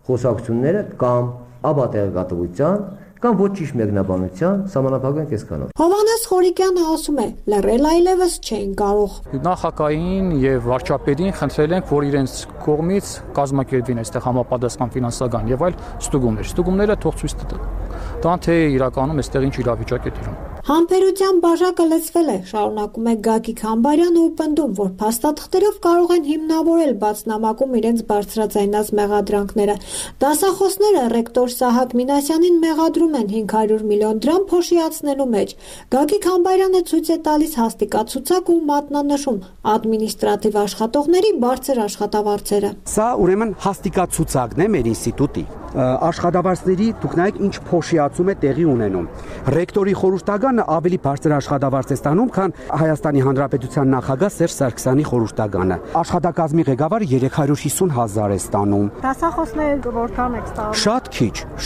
խոսակցությունները կամ աբատեղեկատվության կամ ոչ ճիշտ մեկնաբանության սահմանափակվեն կեսկանով։ Հովհաննես Խորիկյանը ասում է, լռել այլևս չէին կարող։ Նախագահային եւ վարչապետին խնդրել ենք, որ իրենց կողմից կազմակերպվին այստեղ համապատասխան ֆինանսական եւ այլ ստուգումներ։ Ստուգումները թող ցույց տան, թե իրականում այստեղ ինչ իրավիճակ է տիրում։ Համբերության բաժակը լցվել է, շարունակում է Գագիկ Համբարյանը ու պնդում, որ փաստաթղթերով կարող են հիմնավորել բացնամակում իրենց բարձրաձայնած մեղադրանքները։ Դասախոսները ռեկտոր Սահակ Մինասյանին մեղադրում են 500 միլիոն դրամ փոշիացնելու մեջ։ Գագիկ Համբարյանը ցույց է տալիս հաստիկացուցակ ու մատնանշում ադմինիստրատիվ աշխատողների բարձր աշխատավարձերը։ Սա ուրեմն հաստիկացուցակն է մեր ինստիտուտի։ Աշխատավարձների դուք նայեք ինչ փոշիացում է տեղի ունենում։ Ռեկտորի խորհրդականը ավելի բարձր աշխատավարձ է ստանում, քան Հայաստանի Հանրապետության նախագահ Սերժ Սարգսյանի խորհրդականը։ Աշխատակազմի ղեկավարը 350,000 է ստանում։ Դասախոսները որքան եք ստանում։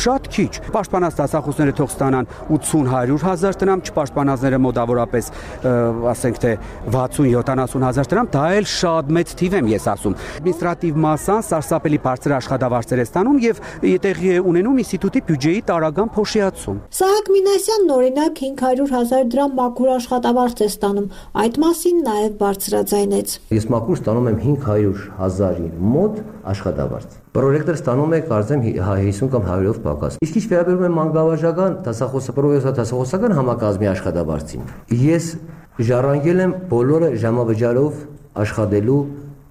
Շատ քիչ։ Պաշտպանած դասախոսները թող ստանան 80-100,000 դրամ, չպաշտպանածները մոտավորապես ասենք թե 60-70,000 դրամ, դա էլ շատ մեծ թիվ եմ ես ասում։ Ադմինիստրատիվ մասան սարսափելի բարձր աշխատավարձեր է ստանում եւ տեղի է ունենում ինստիտուտի բյուջեի տարական փոշիացում։ Սահակ Մինասյանն օրինակ 500,000 դրամ մաքուր աշխատավարձ է ստանում, այդ մասին նաև բարձրաձայնեց։ Ես մաքուր ստանում եմ 500,000-ի մոտ աշխատավարձ։ Պրոյեկտը ստանում է կարծեմ 50 կամ 100-ով պակաս։ Իսկ ինչ վերաբերում է մանկավարժական դասախոսական համակազմի աշխատավարձին, ես ժառանգել եմ բոլորը ժամավճարով աշխատելու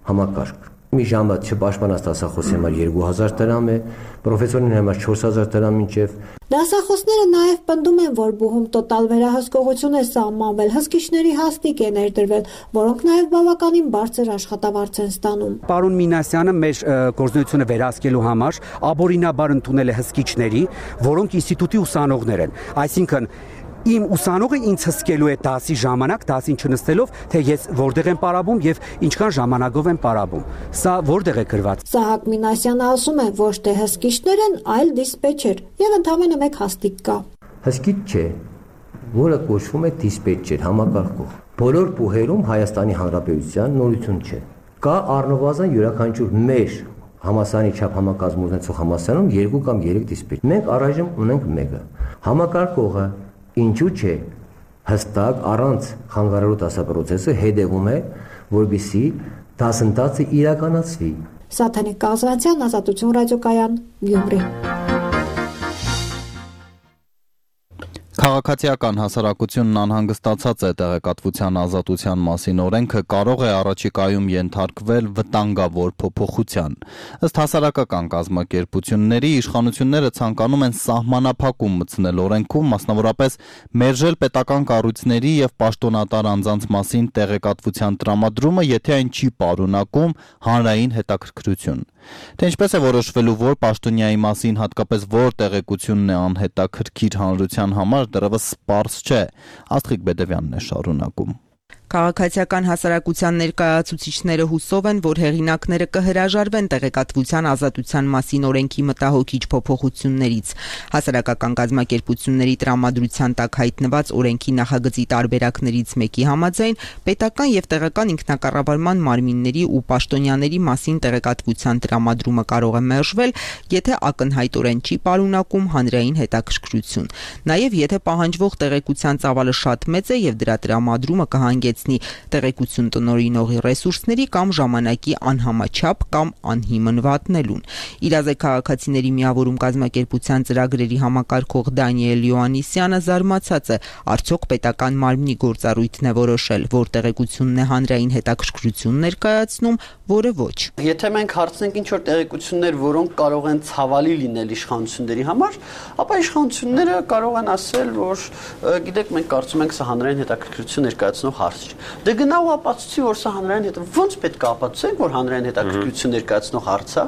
համակարգ։ Մի ժամը չպաշտպանած դասախոսի համար 2000 դրամ է, պրոֆեսորին համար 4000 դրամ մինչև։ Դասախոսները նաև պնդում են, որ բուհում տոտալ վերահսկողություն է սահմանվել, հսկիչների հաստիկ է ներդրվել, որոնք նաև բավականին բարձր աշխատավարձ են ստանում։ Պարոն Մինասյանը մեր գործունեությունը վերահսկելու համար աբորինաբար ընդունել է հսկիչների, որոնք ինստիտուտի ուսանողներ են, այսինքն իմ ուսանողը ինձ հսկելու է դասի ժամանակ, դասին չնստելով, թե ես որտեղ եմ պարաբում եւ ինչքան ժամանակով եմ պարաբում։ Սա որտեղ է գրված։ Սահակ Մինասյանը ասում է, ոչ թե հսկիչներ են, այլ դիսպեչեր, եւ ընդամենը մեկ հաստիկ կա։ Հսկիչ չէ, որը կոչվում է դիսպեչեր, համակարգող։ Բոլոր բուհերում Հայաստանի Հանրապետության նորություն չէ։ Կա առնվազն յուրաքանչյուր մեր համասարանի չափ համակազմ ունեցող համասարանում 2 կամ 3 դիսպեչեր։ Մենք առայժմ ունենք մեկը։ Համակարգողը ինչու՞ չէ հստակ առանց խանգարելու դասապրոցեսը հետևում է, որպեսզի դասընթացը իրականացվի։ Սաթենիկ Կազվանցյան, Ազատություն ռադիոկայան, Գյումրի։ Քաղաքացիական հասարակությունն անհանգստացած է տեղեկատվության ազատության մասին օրենքը կարող է առաջիկայում ենթարկվել վտանգավոր փոփոխության։ Ըստ հասարակական կազմակերպությունների իշխանությունները ցանկանում են սահմանափակում մտցնել օրենքում, մասնավորապես մերժել պետական կառույցների եւ պաշտոնատար անձանց մասին տեղեկատվության տրամադրումը, եթե այն չի պարունակում հանրային հետաքրքրություն։ Թե ինչպես է որոշվելու, որ պաշտոնյայի մասին հատկապես որ տեղեկությունն է անհետաքրքիր հանրության համար, դեռևս պարզ չէ։ Աստղիկ Բեդևյանն է շարունակում։ Քաղաքացիական հասարակության ներկայացուցիչները հուսով են, որ հեղինակները կհրաժարվեն տեղեկատվության ազատության մասին օրենքի մտահոգիչ փոփոխություններից։ Հասարակական կազմակերպությունների տրամադրության տակ հայտնված օրենքի նախագծի տարբերակներից մեկի համաձայն պետական եւ տեղական ինքնակառավարման մարմինների ու պաշտոնյաների մասին տեղեկատվության տրամադրումը կարող է մերժվել, եթե ակնհայտորեն չի պարունակում հանրային հետաքրքրություն։ Նաեւ եթե պահանջվող տեղեկության ծավալը շատ մեծ է եւ դրա տրամադրումը կհանգեցնի տեղեկություն տնօրինողի ռեսուրսների կամ ժամանակի անհամաչափ կամ անհիմն վատնելուն։ Իրազեկ քաղաքացիների միավորում կազմակերպության ծրագրերի համակարգող Դանիել Յոաննիսյանը զարմացած է, արդյոք պետական մարմնի գործառույթն է որոշել, որ տեղեկությունն է հանրային հետաքրքրություն ներկայացնում, որը ոչ։ Եթե մենք հարցնենք ինչ որ տեղեկություններ, որոնք կարող են ցավալի լինել իշխանությունների համար, ապա իշխանությունները կարող են ասել, որ գիտեք, մենք կարծում ենք սա հանրային հետաքրքրություն ներկայացնող հարց չէ։ Դե գնա ու ապացուցի, որ սա հանրային հետ ոնց պետք է ապացուցենք, որ հանրային հետաքրքրություն ներկայացնող հարց է։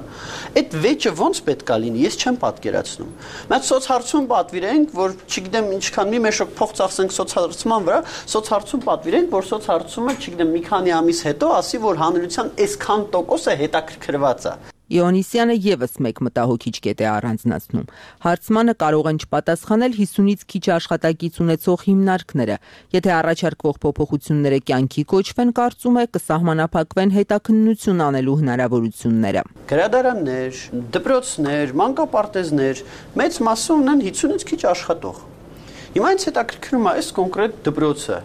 Այդ վեճը ոնց պետք է լինի, ես չեմ պատկերացնում։ Մենք սոցհարցում պատվիրենք, որ չգիտեմ ինչքան մի մեշոք փող ծախսենք սոցհարցման վրա, սոցհարցում պատվիրենք, որ սոցհարցումը, չգիտեմ, մի քանի ամիս հետո ասի, որ հանրության այսքան տոկոսը հետաքրքրված է։ Յոաննիսյանը եւս մեկ մտահոգիչ կետ է առանձնացնում։ Հարցմանը կարող են չպատասխանել 50-ից քիչ աշխատակից ունեցող հիմնարկները։ Եթե առաջարկվող փոփոխությունները կյանքի կոչվեն, կարծում է կսահմանափակվեն հետաքննություն անելու հնարավորությունները։ Գրադարաններ, դպրոցներ, մանկապարտեզներ մեծ մասը ունեն 50-ից քիչ աշխատող։ Հիմա ինձ հետաքրքրում է այս կոնկրետ դպրոցը։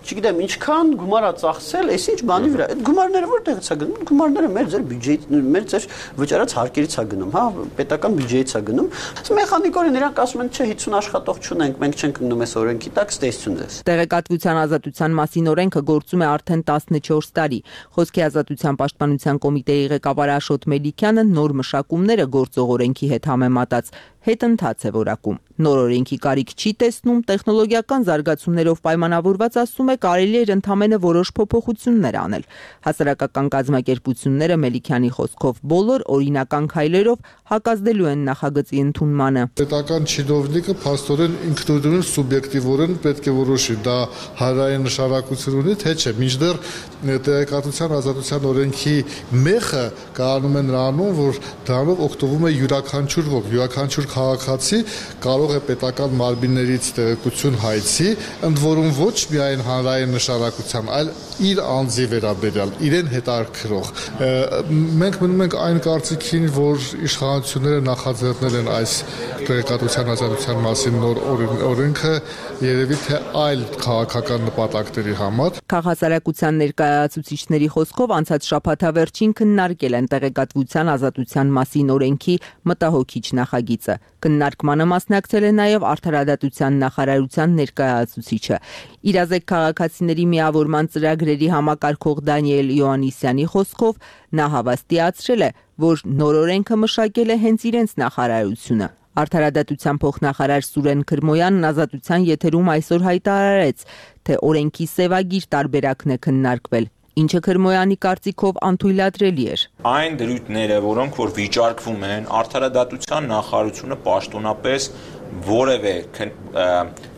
Չգիտեմ ինչքան գումար է ծախսել, այս ինչ բանի վրա։ Այդ գումարները որտեղից է գնում։ Գումարները մեր ձեր բյուջեից, մեր ձեր վճարած հարկերից է գնում, հա, պետական բյուջեից է գնում։ Մեխանիկորեն իրանք ասում են, չէ, 50 աշխատող չունենք, մենք չենք գնում այս օրենքի տակ, ստեսություն ձեզ։ Տեղեկատվության ազատության մասին օրենքը գործում է արդեն 14 տարի։ Խոսքի ազատության պաշտպանության կոմիտեի ղեկավար Աշոտ Մելիքյանը նոր մշակումները գործող օրենքի հետ համեմատած հետընթաց է որակում։ Նոր օրենքի կարիք չի տեսնում, տեխնոլոգիական զարգացումներով պայմանավորված ասում է կարելի էր ընդամենը որոշ փոփոխություններ անել։ Հասարակական կազմակերպությունները Մելիքյանի խոսքով բոլոր օրինական քայլերով հակազդելու են նախագծի ընդունմանը։ Պետական չինովնիկը փաստորեն ինքնուրույն սուբյեկտիվորեն պետք է որոշի, դա հանրային նշանակություն ունի, թե չէ։ Մինչդեռ տեղեկատվության ազատության օրենքի մեխը կանում է նրանում, որ դրանով օգտվում է յուրաքանչյուր ոք, յուրաքանչյուր քաղաքացի կարող է պետական մարմիններից տեղեկություն հայցի, ընդ որում ոչ միայն հանրային նշանակության, այլ իր անձի վերաբերյալ, իրեն հետաքրքրող։ Մենք մնում ենք այն կարծիքին, որ իշխանությունները նախաձեռնել են այս տեղեկատվության ազատության մասին նոր օրենքը, երևի թե այլ քաղաքական նպատակների համար։ Քաղաքասարակության ներկայացուցիչների խոսքով անցած շաբաթավերջին քննարկել են տեղեկատվության ազատության մասին օրենքի մտահոգիչ նախագիծը։ Քննարկմանը մասնակցել է նաև Արդարադատության նախարարության ներկայացուցիչը։ Իրազեկ քաղաքացիների միավորման ծրագրերի համակարգող Դանիել Յոաննիսյանի խոսքով նա հավաստիացրել է, որ նոր օրենքը մշակել է հենց իրենց նախարարությունը։ Արդարադատության փոխնախարար Սուրեն Քրմոյանն Ազատության եթերում այսօր հայտարարեց, թե օրենքի սևագիր տարբերակն է քննարկվել, ինչը Քրմոյանի կարծիքով անթույլատրելի էր։ Այն դրույթները, որոնք որ վիճարկվում են, Արդարադատության նախարարությունը պաշտոնապես որևէ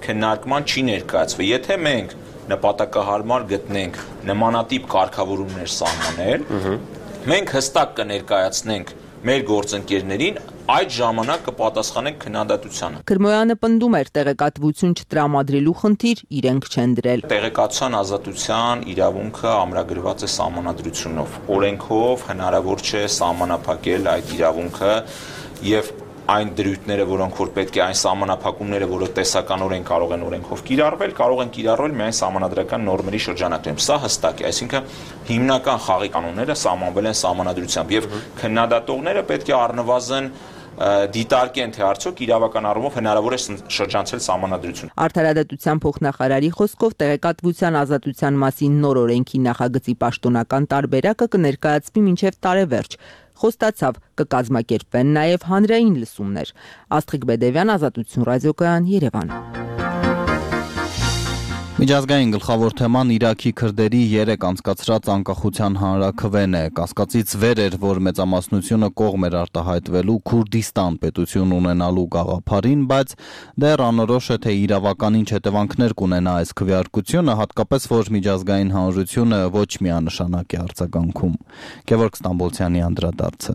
քննարկման չի ներկայացվել։ Եթե մենք նպատակահարմար գտնենք նմանատիպ կարգավորումներ սահմանել, մենք հստակ կներկայացնենք մեր գործընկերներին, այդ ժամանակ կպատասխանենք քննադատությանը։ Քրմոյանը պնդում էր տեղեկատվություն չտրամադրելու խնդիր իրենք չեն դրել։ Տեղեկատվության ազատության իրավունքը ամրագրված է սահմանադրությունով։ Օրենքով հնարավոր չէ սահմանափակել այդ իրավունքը եւ այն դրույթները, որոնք որ պետք է այն սահմանափակումները, որը տեսականորեն կարող են օրենքով կիրառվել, կարող են կիրառվել միայն սահմանադրական նորմերի շրջանակներում։ Սա հստակ է, այսինքն հիմնական խաղի կանոնները սահմանվել են սահմանադրությամբ եւ քննադատողները պետք է առնվազն դիտարկեն, թե արդյոք իրավական առումով հնարավոր է շրջանցել սահմանադրություն։ Արդարադատության փոխնախարարի խոսքով տեղեկատվության ազատության մասին նոր օրենքի նախագծի պաշտոնական տարբերակը կներկայացվի մինչև տարեվերջ։ Խոստացավ կկազմակերպվեն նաև հանրային լսումներ։ Աստղիկ Բեդևյան, Ազատություն ռադիոկայան, Երևան։ Միջազգային գլխավոր թեման Իրաքի քրդերի 3 անցկացրած անկախության հանրաքվեն է։ Կասկածից վեր էր, որ մեծամասնությունը կողմ էր արտահայտվելու Քուրդիստան պետություն ունենալու գաղափարին, բայց դեռ անորոշ է, թե իրավական ինչ հետևանքներ կունենա այս քվեարկությունը, հատկապես որ միջազգային հանրությունը ոչ միանշանակ է արձագանքում։ Գևորգ Ստամբոլցյանի անդրադարձը։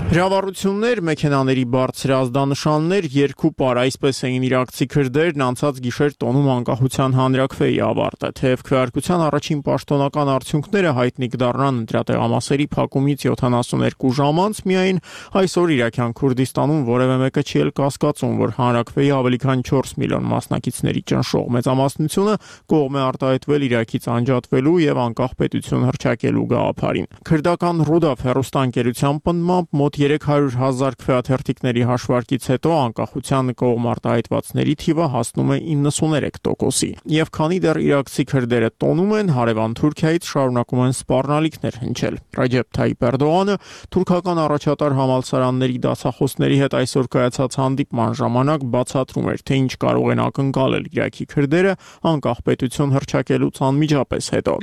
Հրավառություններ, մեքենաների բարձր ազդանշաններ, երկու պար, այսպես էին իրաքցի քրդերն անցած գիշեր տոնում անկախության հանրաքվեի ավարտը, թեև քվեարկության առաջին պաշտոնական արդյունքները հայտնի կդառնան ընտրատեղամասերի փակումից 72 ժամ անց, միայն այսօր Իրաքյան Քուրդիստանում որևէ մեկը չի էլ կասկածում, որ հանրաքվեի ավելի քան 4 միլիոն մասնակիցների ճնշող մեծամասնությունը կողմ է արտահայտվել Իրաքից անջատվելու եւ անկախ պետություն հռչակելու գաղափարին։ Քրդական Ռուդաֆ հեռուստաընկերության պնդմամբ մոտ 300,000 քվեաթերթիկների հաշվարկից հետո անկախության կողմ արտահայտվածների թիվը հասնում է 93%-ի։ Եվ քանի դեռ իրաքցի քրդերը տոնում են, հարևան Թուրքիայից շարունակում են սպառնալիքներ հնչել։ Ռաջեփ Թայիպ Էրդողանը թուրքական առաջատար համալսարանների դասախոսների հետ այսօր կայացած հանդիպման ժամանակ բացատրում էր, թե ինչ կարող են ակնկալել Իրաքի քրդերը անկախ պետություն հռչակելուց անմիջապես հետո։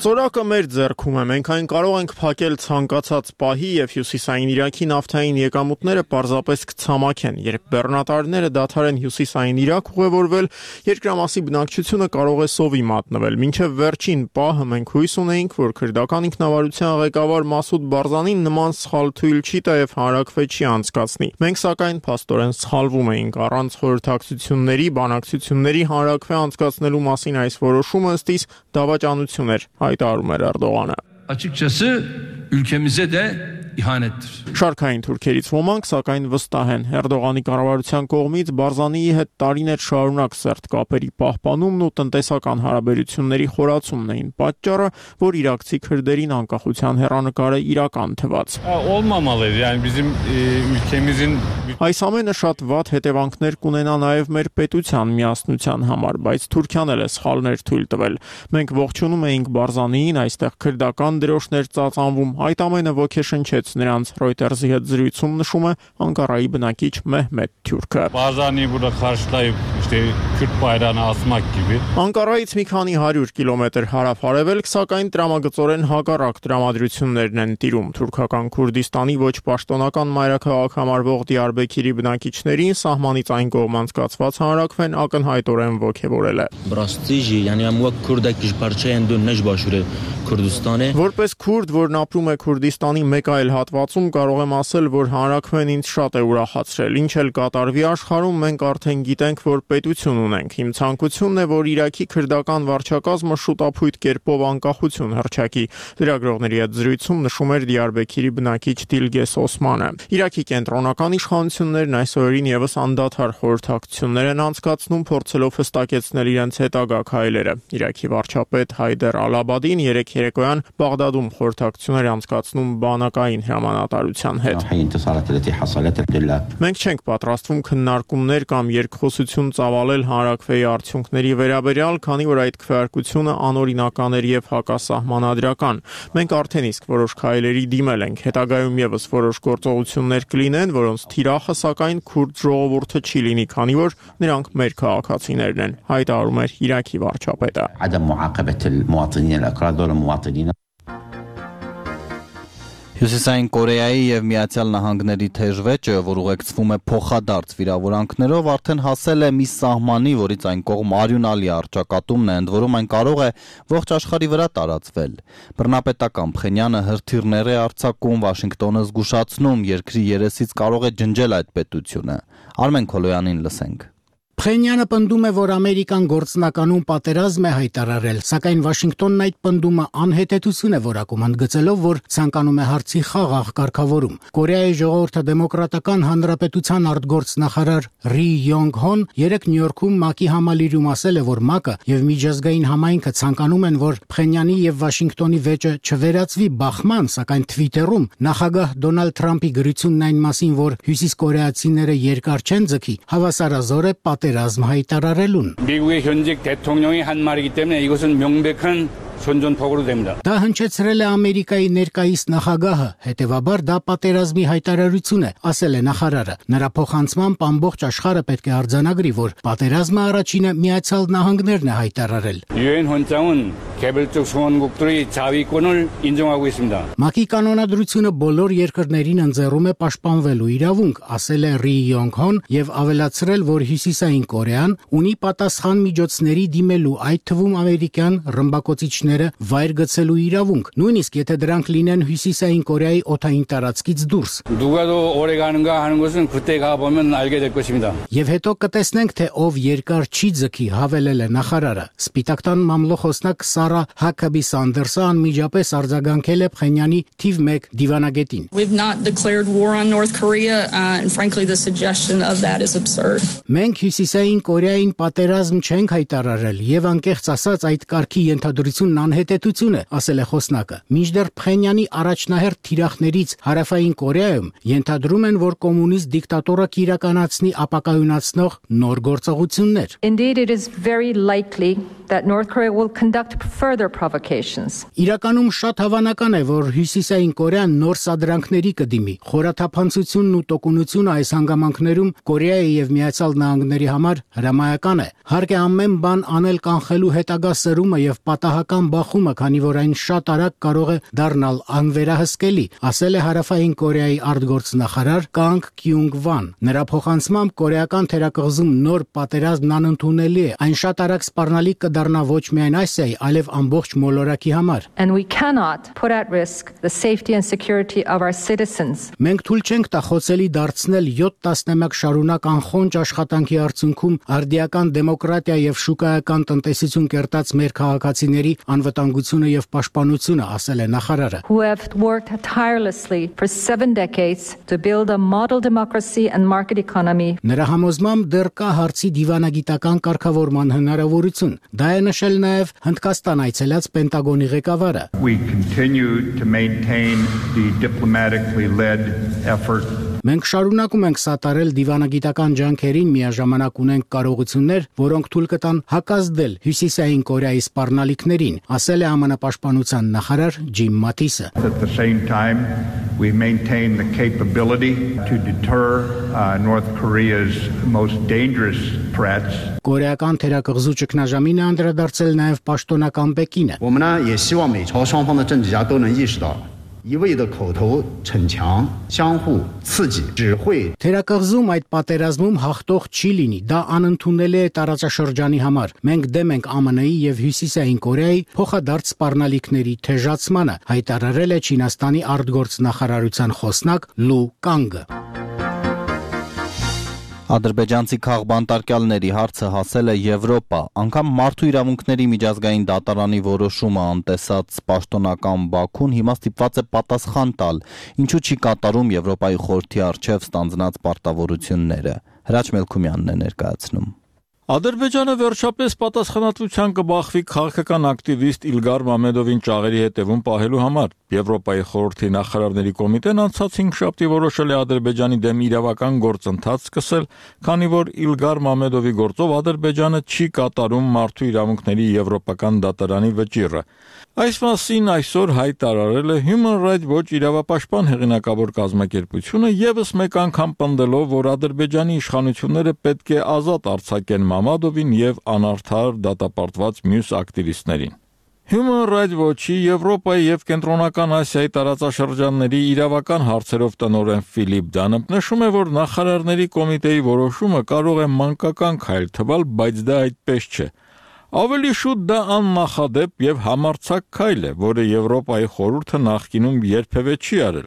Ծորակը մեր ձեռքում է, մենք այն կարող ենք փակել ցանկացած պահի եւ հյուսիսային Իրաքի նավթային եկամուտները պարզապես կցամաքեն, երբ բեռնատարները դադարեն հյուսիսային Իրաք ուղևորվել, երկրամասի բնակչությունը կարող է սովի մատնվել։ Մինչև վերջին պահը մենք հույս ունեինք, որ քրդական ինքնավարության ղեկավար Մասուդ Բարզանին նման սխալ թույլ չի տա եւ հանրաքվե չի անցկացնի։ Մենք սակայն փաստորեն սխալվում էինք առանց խորհրդակցությունների, բանակցությունների հանրաքվե անցկացնելու մասին այս որոշումը ըստ իս դավաճանություն էր, հայտարարում էր Էրդողանը։ Açıkçası ülkemize de ihanettir. Շարքային թուրքերից ոմանք սակայն վստահ են Էրդողանի կառավարության կողմից Բարզանիի հետ տարիներ շարունակ սերտ կապերի պահպանումն ու տնտեսական հարաբերությունների խորացումն էին պատճառը, որ իրաքցի քրդերին անկախության հեռանկարը իրական թվաց։ Olmamalıydı. Yani bizim ülkemizin Այս ամենը շատ վատ հետևանքներ կունենա նաև մեր պետության միասնության համար, բայց Թուրքիան էլ է սխալներ թույլ տվել։ Մենք ողջունում էինք Բարզանիին, այստեղ քրդական դրոշներ ծածանվում, այդ ամենը ոգեշնչեց նրանց։ Reuters-ի հետ զրույցում նշում է Անկարայի բնակիչ Մեհմեդ Թյուրքը։ Barzani'yi burada karşılayıp işte Kürt bayrağını asmak gibi. Անկարայից մի քանի 100 կիլոմետր հարավ-արևելք, սակայն տրամագծորեն հակառակ տրամադրություններն են տիրում թուրքական Քուրդիստանի ոչ պաշտոնական մայրաքաղաք համարվող Դիարբեքիրի բնակիչներին սահմանից այն կողմ անցկացված հանրաքվեն ակնհայտորեն ոգևորել է։ Որպես քուրդ, որն ապրում է Քուրդիստանի մեկ այլ հատվածում կարող եմ ասել, որ հանրաքվեն ինձ շատ է ուրախացրել։ Ինչ էլ կատարվի աշխարհում, մենք արդեն գիտենք, որ պետություն ունենք։ Իմ ցանկությունն է, որ Իրաքի քրդական վարչակազմը շուտապույտ կերպով անկախություն հռչակի։ Լրագրողների հետ զրույցում նշում էր Դիարբեքիրի բնակիչ Դիլգես Օսմանը։ Իրաքի կենտրոնական իշխանություններն այս օրերին եւս անդադար խորհրդակցություններ են անցկացնում, փորձելով հստակեցնել իրենց հետագա քայլերը։ Իրաքի վարչապետ Հայդեր Ալ-Աբադին երեկ երեկոյան Բաղդադում խորհրդակցություններ անցկացնում բանակային հրամանատարության հետ։ Մենք չենք պատրաստվում քննարկումներ կամ երկխոսություն ծավալել հանրաքվեի արդյունքների վերաբերյալ, քանի որ այդ քվեարկությունը անօրինական էր եւ հակասահմանադրական։ Մենք արդեն իսկ որոշ քայլերի դիմել ենք, հետագայում եւս որոշ գործողություններ կլինեն, որոնց թիրախը սակայն քուրդ ժողովուրդը չի լինի, քանի որ նրանք մեր քաղաքացիներն են, հայտարարում էր Իրաքի վարչապետը։ Հյուսիսային Կորեայի եւ Միացյալ Նահանգների թեժվեճը, որ ուղեկցվում է փոխադարձ վիրավորանքներով, արդեն հասել է մի սահմանի, որից այն կողմ արյունալի առճակատումն է, ընդ որում այն կարող է ողջ աշխարհի վրա տարածվել։ Բռնապետական Փխենյանը հրթիռներ է արձակում, Վաշինգտոնը զգուշացնում, երկրի երեսից կարող է ջնջել այդ պետությունը։ Արմեն Քոլոյանին լսենք։ Փխենյանը պնդում է, որ Ամերիկան գործնականում պատերազմ է հայտարարել, սակայն Վաշինգտոնն այդ պնդումը անհետեցություն է որակում, ընդգծելով, որ ցանկանում է հարցի խաղաղ կարգավորում։ Կորեայի ժողովրդի դեմոկրատական հանրապետության արտգործնախարար Ռի Յոնգ Հոն երեկ Նյու-Յորքում ՄԱԿ-ի համալիրում ասել է, որ ՄԱԿ-ը եւ միջազգային համայնքը ցանկանում են, որ Փխենյանի եւ Վաշինգտոնի վեճը չվերածվի բախման, սակայն Թվիտերում նախագահ Դոնալդ Թրամփի գրությունն այն մասին, որ հյուսիսկորեացիները երկար չեն ձգի, հավասարազոր է պատերազմ հայտարարելուն։ 미국의 현직 대통령이 한 말이기 때문에 이것은 명백한 선전포고로 됩니다. Դա հնչեցրել է Ամերիկայի ներկայիս նախագահը, հետևաբար դա պատերազմի հայտարարություն է, ասել է նախարարը։ Նրա փոխանցմամբ ամբողջ աշխարհը պետք է արձանագրի, որ պատերազմը առաջինը Միացյալ Նահանգներն է հայտարարել։ 유엔 헌장은 개별적 수원국들의 자위권을 인정하고 있습니다. ՄԱԿ-ի կանոնադրությունը բոլոր երկրներին ընձեռում է պաշտպանվելու իրավունք, ասել է Ռի Յոնգ Հոն եւ ավելացրել, որ Հյուսիսային Կորեան ունի պատասխան միջոցների դիմելու, այդ թվում ամերիկյան ռմբակոծիչները վայր գցելու իրավունք, նույնիսկ եթե դրանք լինեն Հյուսիսային Կորեայի օդային տարածքից դուրս։ 누가 더 오래 가는가 하는 것은 그때 가 보면 알게 될 것입니다. Եվ հետո կտեսնենք, թե ով երկար չի ձգի, հավելել է նախարարը։ Սպիտակտան մամլոխոսնակ Սարա Հակաբի Սանդերսը անմիջապես արձագանքել է Փխենյանի թիվ 1 դիվանագետին։ We've not declared war on North Korea and frankly the suggestion of that is absurd. Մենք Հյուսիսային Կորեային պատերազմ չենք հայտարարել եւ անկեղծ ասած այդ կարգի ենթադրությունն անհետեցություն է, ասել է խոսնակը։ Մինչդեռ Փխենյանի առաջնահերթ թիրախներից Հարավային Կորեայում ենթադրում են, որ կոմունիստ դիկտատորը կիրականացնի ապակայունացնող նոր գործողություններ։ Indeed, it is very likely that North Korea will conduct further provocations. Իրականում շատ հավանական է, որ Հյուսիսային Կորեան նոր սադրանքների կդիմի։ Խորաթափանցությունն ու տոկունությունը այս հանգամանքներում Կորեայի եւ Միացյալ Նահանգների համար հրամայական է։ Հարկ է ամեն բան անել կանխելու հետագա սրումը եւ պատահական բախումը, քանի որ այն շատ արագ կարող է դառնալ անվերահսկելի, ասել է Հարավային Կորեայի արտգործնախարար Կանգ Կյունգ Վան։ Նրա փոխանցմամբ կորեական թերակղզում նոր պատերազմն անընդունելի է։ Այն շատ արագ սպառնալիք կդառնա ոչ միայն Ասիայի, այլև ամբողջ մոլորակի համար։ And we cannot put at risk the safety and security of our citizens. Մենք թույլ չենք տա խոցելի դարձնել 7 տասնամյակ շարունակ անխոնջ աշխատանքի արդյունքում արդիական դեմոկրատիա եւ շուկայական տնտեսություն կերտած մեր քաղաքացիների անվտանգությունը եւ պաշտպանությունը, ասել է նախարարը։ Who have worked tirelessly for 7 decades to build a model democracy and market economy. Նրա համոզմամբ դեռ կա հարցի դիվանագիտական կարգավորման հնարավորություն։ Դա է նշել նաեւ Հնդկաստան այցելած Պենտագոնի ղեկավարը։ We continue to maintain the diplomatically led effort. Մենք շարունակում ենք սատարել դիվանագիտական ջանքերին, միաժամանակ ունենք կարողություններ, որոնք թույլ կտան հակազդել Հյուսիսային Կորեայի սպառնալիքներին, ասել է ԱՄՆ պաշտպանության նախարար Ջիմ Մաթիսը։ At the same time, we maintain the capability to deter North Korea's most dangerous threats. Կորեական թերակղզու ճգնաժամին է անդրադարձել նաև պաշտոնական Պեկինը։ Թերակղզում այդ պատերազմում հաղթող չի լինի, դա անընդունելի է տարածաշրջանի համար։ Մենք դեմ ենք ԱՄՆ-ի եւ Հյուսիսային Կորեայի փոխադարձ սպառնալիքների թեժացմանը, հայտարարել է Չինաստանի արտգործնախարարության խոսնակ Լու Կանգը։ Ադրբեջանցի քաղբանտարկյալների հարցը հասել է Եվրոպա, անգամ մարդու իրավունքների միջազգային դատարանի որոշումը անտեսած պաշտոնական Բաքուն հիմա ստիպված է պատասխան տալ, ինչու չի կատարում Եվրոպայի խորհրդի առջև ստանձնած պարտավորությունները։ Հրաչ Մելքումյանն է ներկայացնում։ Ադրբեջանը վերջապես պատասխանատվության կբախվի քաղաքական ակտիվիստ Իլգար Մամեդովին ճաղերի հետևում պահելու համար։ Եվրոպայի խորհրդի նախարարների կոմիտեն անցած 5 շաբթի որոշել է Ադրբեջանի դեմ իրավական գործընթաց սկսել, քանի որ Իլգար Մամեդովի գործով Ադրբեջանը չի կատարում մարդու իրավունքների եվրոպական դատարանի վճիռը։ Այս մասին այսօր հայտարարել է Human Rights Watch իրավապաշտպան հեղինակավոր կազմակերպությունը, ևս մեկ անգամ պնդելով, որ Ադրբեջանի իշխանությունները պետք է ազատ արձակեն Մամադովին եւ անարդար դատապարտված մյուս ակտիվիստներին։ Human Rights Watch-ի Եվրոպայի եւ Կենտրոնական Ասիայի տարածաշրջանների իրավական հարցերով տնօրեն Ֆիլիպ Դանը նշում է, որ նախարարների կոմիտեի որոշումը կարող է մանկական քայլ թվալ, բայց դա այդպես չէ։ Ավելի շուտ դա աննախադեպ եւ համարձակ քայլ է, որը Եվրոպայի խորհուրդը նախկինում երբևէ չի արել։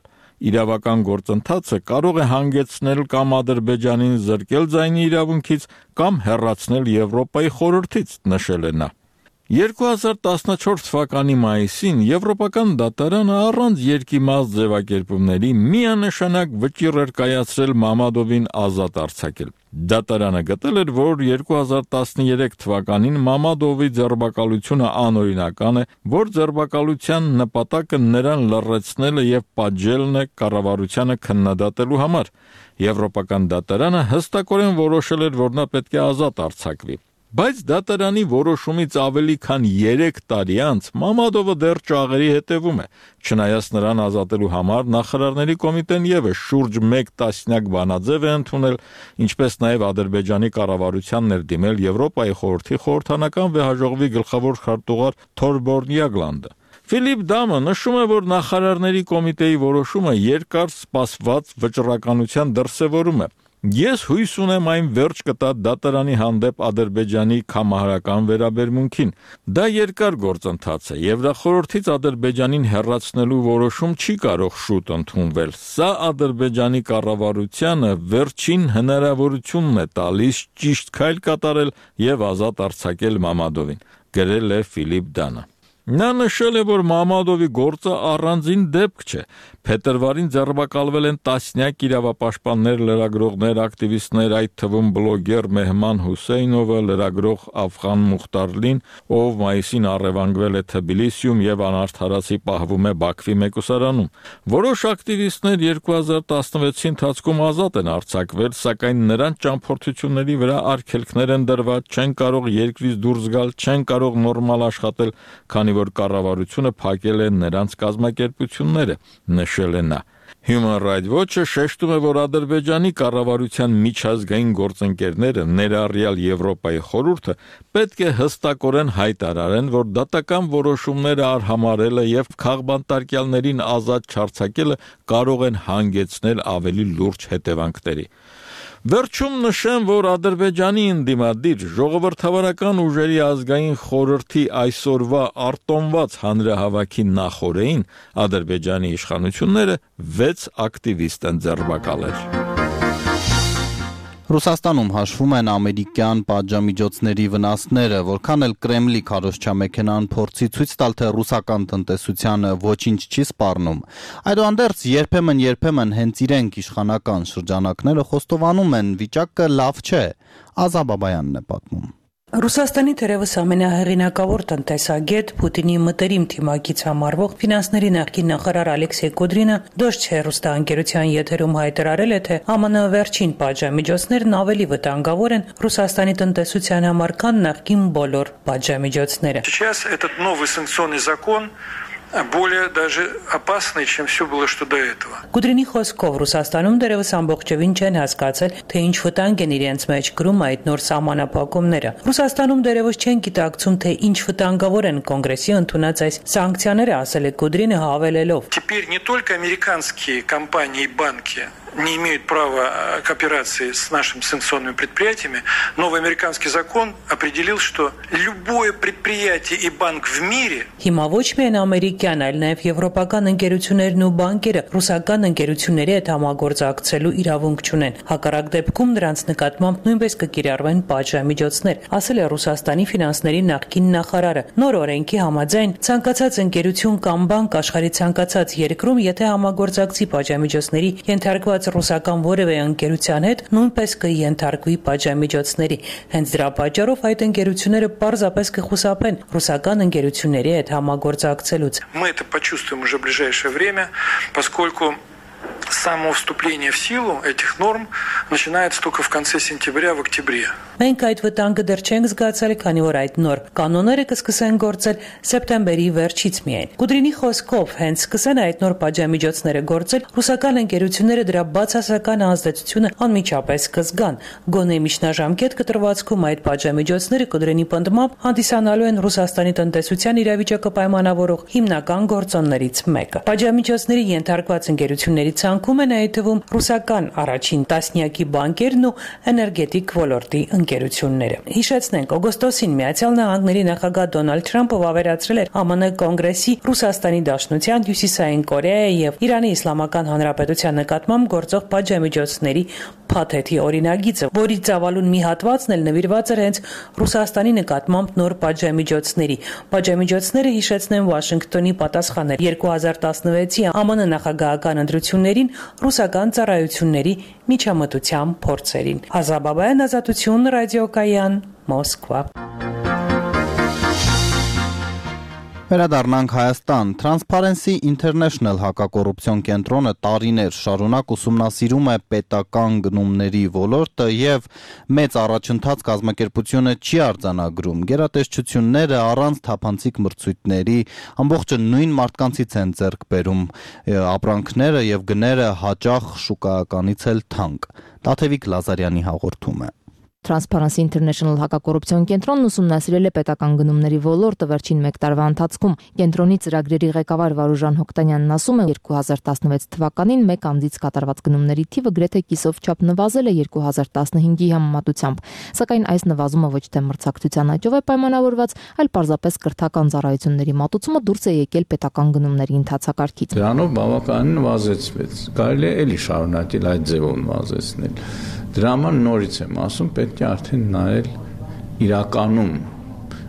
Իրավական գործընթացը կարող է հանգեցնել կամ Ադրբեջանին զրկել ձայնի իրավունքից, կամ հեռացնել Եվրոպայի խորհրդից, նշել է նա։ 2014 թվականի մայիսին Եվրոպական դատարանը առանց երկիմաց ձևակերպումների միանշանակ վճիռ էր կայացրել Մամադովին ազատ արձակել։ Դատարանը գտել էր, որ 2013 թվականին Մամադովի ձերբակալությունը անօրինական է, որ ձերբակալության նպատակը նրան լռեցնելը եւ պատժելն է կառավարությանը քննադատելու համար։ Եվրոպական դատարանը հստակորեն որոշել էր, որ նա պետք է ազատ արձակվի։ Բայց դատարանի որոշումից ավելի քան 3 տարի անց Մամադովը դեռ ճաղերի հետևում է, չնայած նրան ազատելու համար նախարարների կոմիտեն եւս շուրջ 1 տասնյակ բանաձև է ընդունել, ինչպես նաեւ Ադրբեջանի կառավարությանն էր դիմել Եվրոպայի խորհրդի խորհրդանական վեհաժողովի գլխավոր քարտուղար Թորբորն Յագլանդը։ Ֆիլիպ Դամը նշում է, որ նախարարների կոմիտեի որոշումը երկար սպասված վճռականության դրսևորում է։ Ես հույս ունեմ այն վերջ կտա դատարանի հանդեպ Ադրբեջանի կամահարական վերաբերմունքին։ Դա երկար գործընթաց է, եւ դա խորհրդից Ադրբեջանին հեռացնելու որոշում չի կարող շուտ ընդունվել։ Սա Ադրբեջանի կառավարությանը վերջին հնարավորությունն է տալիս ճիշտ քայլ կատարել եւ ազատ արձակել Մամադովին, գրել է Ֆիլիպ Դանը։ Նա նշել է, որ Մամադովի գործը առանձին դեպք չէ։ Փետրվարին ձերբակալվել են տասնյակ իրավապաշտպաններ, լրագրողներ, ակտիվիստներ, այդ թվում բլոգեր Մեհման Հուսեյնովը, լրագրող Աֆղան Մուխտարլին, ով մայիսին առևանգվել է Թբիլիսիում եւ անարդարացի պահվում է Բաքվի մեկուսարանում։ Որոշ ակտիվիստներ 2016-ի ընթացքում ազատ են արձակվել, սակայն նրանց ճամփորդությունների վրա արգելքներ են դրված, չեն կարող երկրից դուրս գալ, չեն կարող նորմալ աշխատել, քանի որ կառավարությունը փակել է նրանց կազմակերպությունները, նշել է նա։ Human Rights Watch-ը շեշտում է, որ Ադրբեջանի կառավարության միջազգային գործընկերները, ներառյալ Եվրոպայի խորհուրդը, պետք է հստակորեն հայտարարեն, որ դատական որոշումները արհամարելը եւ քաղբանտարկյալներին ազատ չարձակելը կարող են հանգեցնել ավելի լուրջ հետևանքների։ Վերջում նշեմ, որ Ադրբեջանի ընդդիմադիր ժողովրդավարական ուժերի ազգային խորհրդի այսօրվա արտոնված հանրահավաքի նախօրեին Ադրբեջանի իշխանությունները 6 ակտիվիստ են ձերբակալել։ Ռուսաստանում հաշվում են ամերիկյան պատժամիջոցների վնասները, որքան էլ Կրեմլի քարոզչամեքենան փորձի ցույց տալ, թե ռուսական տնտեսությանը ոչինչ չի սպառնում։ Այդուհանդերձ երբեմն հենց իրենք իշխանական շրջանակները խոստովանում են, վիճակը լավ չէ։ Ազա Բաբայանն է պատմում։ Ռուսաստանի թերևս ամենահեղինակավոր տնտեսագետ Պուտինի մտերիմ թիմակից համարվող ֆինանսների նախկին նախարար Ալեքսեյ Կոդրինը Դոժչե հեռուստաընկերության եթերում հայտարարել է, թե ԱՄՆ վերջին պատժամիջոցներն ավելի վտանգավոր են Ռուսաստանի տնտեսության համար, քան նախկին բոլոր պատժամիջոցները։ Сейчас этот новый санкционный закон более даже опасной, чем все было, что до этого. Կուդրինի խոսքով Ռուսաստանում դերևս ամբողջովին չեն հասկացել, թե ինչ վտանգ են իրենց մեջ կրում այդ նոր սահմանափակումները։ Ռուսաստանում դերևս չեն գիտակցում, թե ինչ վտանգավոր են կոնգրեսի ընդունած այս սանկցիաները, ասել է Կուդրինը հավելելով. Теперь не только американские компании и банки не имеют права к операции с нашими санкционными предприятиями. Новый американский закон определил, что любое предприятие и банк в мире Հիմա ոչ միայն ամերիկյան, այլ նաև եվրոպական ընկերություններն ու բանկերը ռուսական ընկերությունների հետ համագործակցելու իրավունք չունեն։ Հակառակ դեպքում նրանց նկատմամբ նույնպես կկիրառվեն պատժամիջոցներ, ասել է Ռուսաստանի ֆինանսների նախկին նախարարը։ Նոր օրենքի համաձայն ցանկացած ընկերություն կամ բանկ աշխարհի ցանկացած երկրում, եթե համագործակցի պատժամիջոցների ենթարկված ռուսական որևէ ընկերության հետ, նույնպես կենթարկվի պատժամիջոցների։ Հենց դրա պատճառով այդ ընկերությունները պարզապես կխուսափեն ռուսական ընկերությունների հետ համագործակցելուց։ Мы это почувствуем уже в ближайшее время, поскольку само вступление в силу этих норм начинается только в конце сентября, в октябре. Մենք այդ վտանգը դեռ չենք զգացել, քանի որ այդ նոր կանոնները կսկսեն գործել սեպտեմբերի վերջից միայն։ Կուդրինի խոսքով, հենց սկսեն այդ նոր պատժամիջոցները գործել, ռուսական ընկերությունները դրա բացասական ազդեցությունը անմիջապես կզգան։ Գոնե միջնաժամկետ կտրվածքում այդ պատժամիջոցները Կուդրինի պնդմամբ հանդիսանալու են Ռուսաստանի տնտեսության իրավիճակը պայմանավորող հիմնական գործոններից մեկը։ Պատժամիջոցների ենթարկված ընկերությունների ցանկում են այդ թվում ռուսական առաջին տասնյակի բանկերն ու էներգետիկ ոլորտի ընկերությունները։ Հիշեցնենք, օգոստոսին Միացյալ Նահանգների նախագահ Դոնալդ Թրամփը վավերացրել էր ԱՄՆ Կոնգրեսի Ռուսաստանի Դաշնության, Հյուսիսային Կորեայի եւ Իրանի Իսլամական Հանրապետության նկատմամբ գործող պատժամիջոցների փաթեթի օրինագիծը, որի ծավալուն մի հատվածն էլ նվիրված էր հենց Ռուսաստանի նկատմամբ նոր պատժամիջոցների։ Պատժամիջոցները, հիշեցնեմ, Վաշինգտոնի պատասխան էր 2016-ի ԱՄՆ նախագահական ընտրություններին ռուսական ծառայությունների միջամտության փորձերին։ Ազաբաբայան, Ազատություն, Ռադիոկայան, Մոսկվա։ Վերադառնանք Հայաստան։ Transparency International հակակոռուպցիոն կենտրոնը տարիներ շարունակ ուսումնասիրում է պետական գնումների ոլորտը եւ մեծ առաջընթաց կազմակերպությունը չի արձանագրում։ Գերատեսչությունները առանց թափանցիկ մրցույթների ամբողջը նույն մարդկանցից են ձեռք բերում, ապրանքները եւ գները հաճախ շուկայականից էլ թանկ։ Տաթևիկ Լազարյանի հաղորդումը։ Transparency International հակակոռուպցիոն կենտրոնն ուսումնասիրել է պետական գնումների ոլորտը վերջին 1 տարվա ընթացքում։ Կենտրոնի ծրագրերի ղեկավար Վարուժան Հոկտանյանն ասում է, 2016 թվականին մեկ անձից կատարված գնումների թիվը գրեթե կիսով չափ նվազել է 2015-ի համեմատությամբ, սակայն այս նվազումը ոչ թե մրցակցության աճով է պայմանավորված, այլ պարզապես կրթական ծառայությունների մատուցումը դուրս է եկել պետական գնումների ընթացակարգից։ Դրանով բավականին նվազեցվեց։ Կարելի է էլի շարունակել այդ ձևով նվազեցնել։ Դրա համար նորից եմ ասում, պետք է արդեն նայել իրականում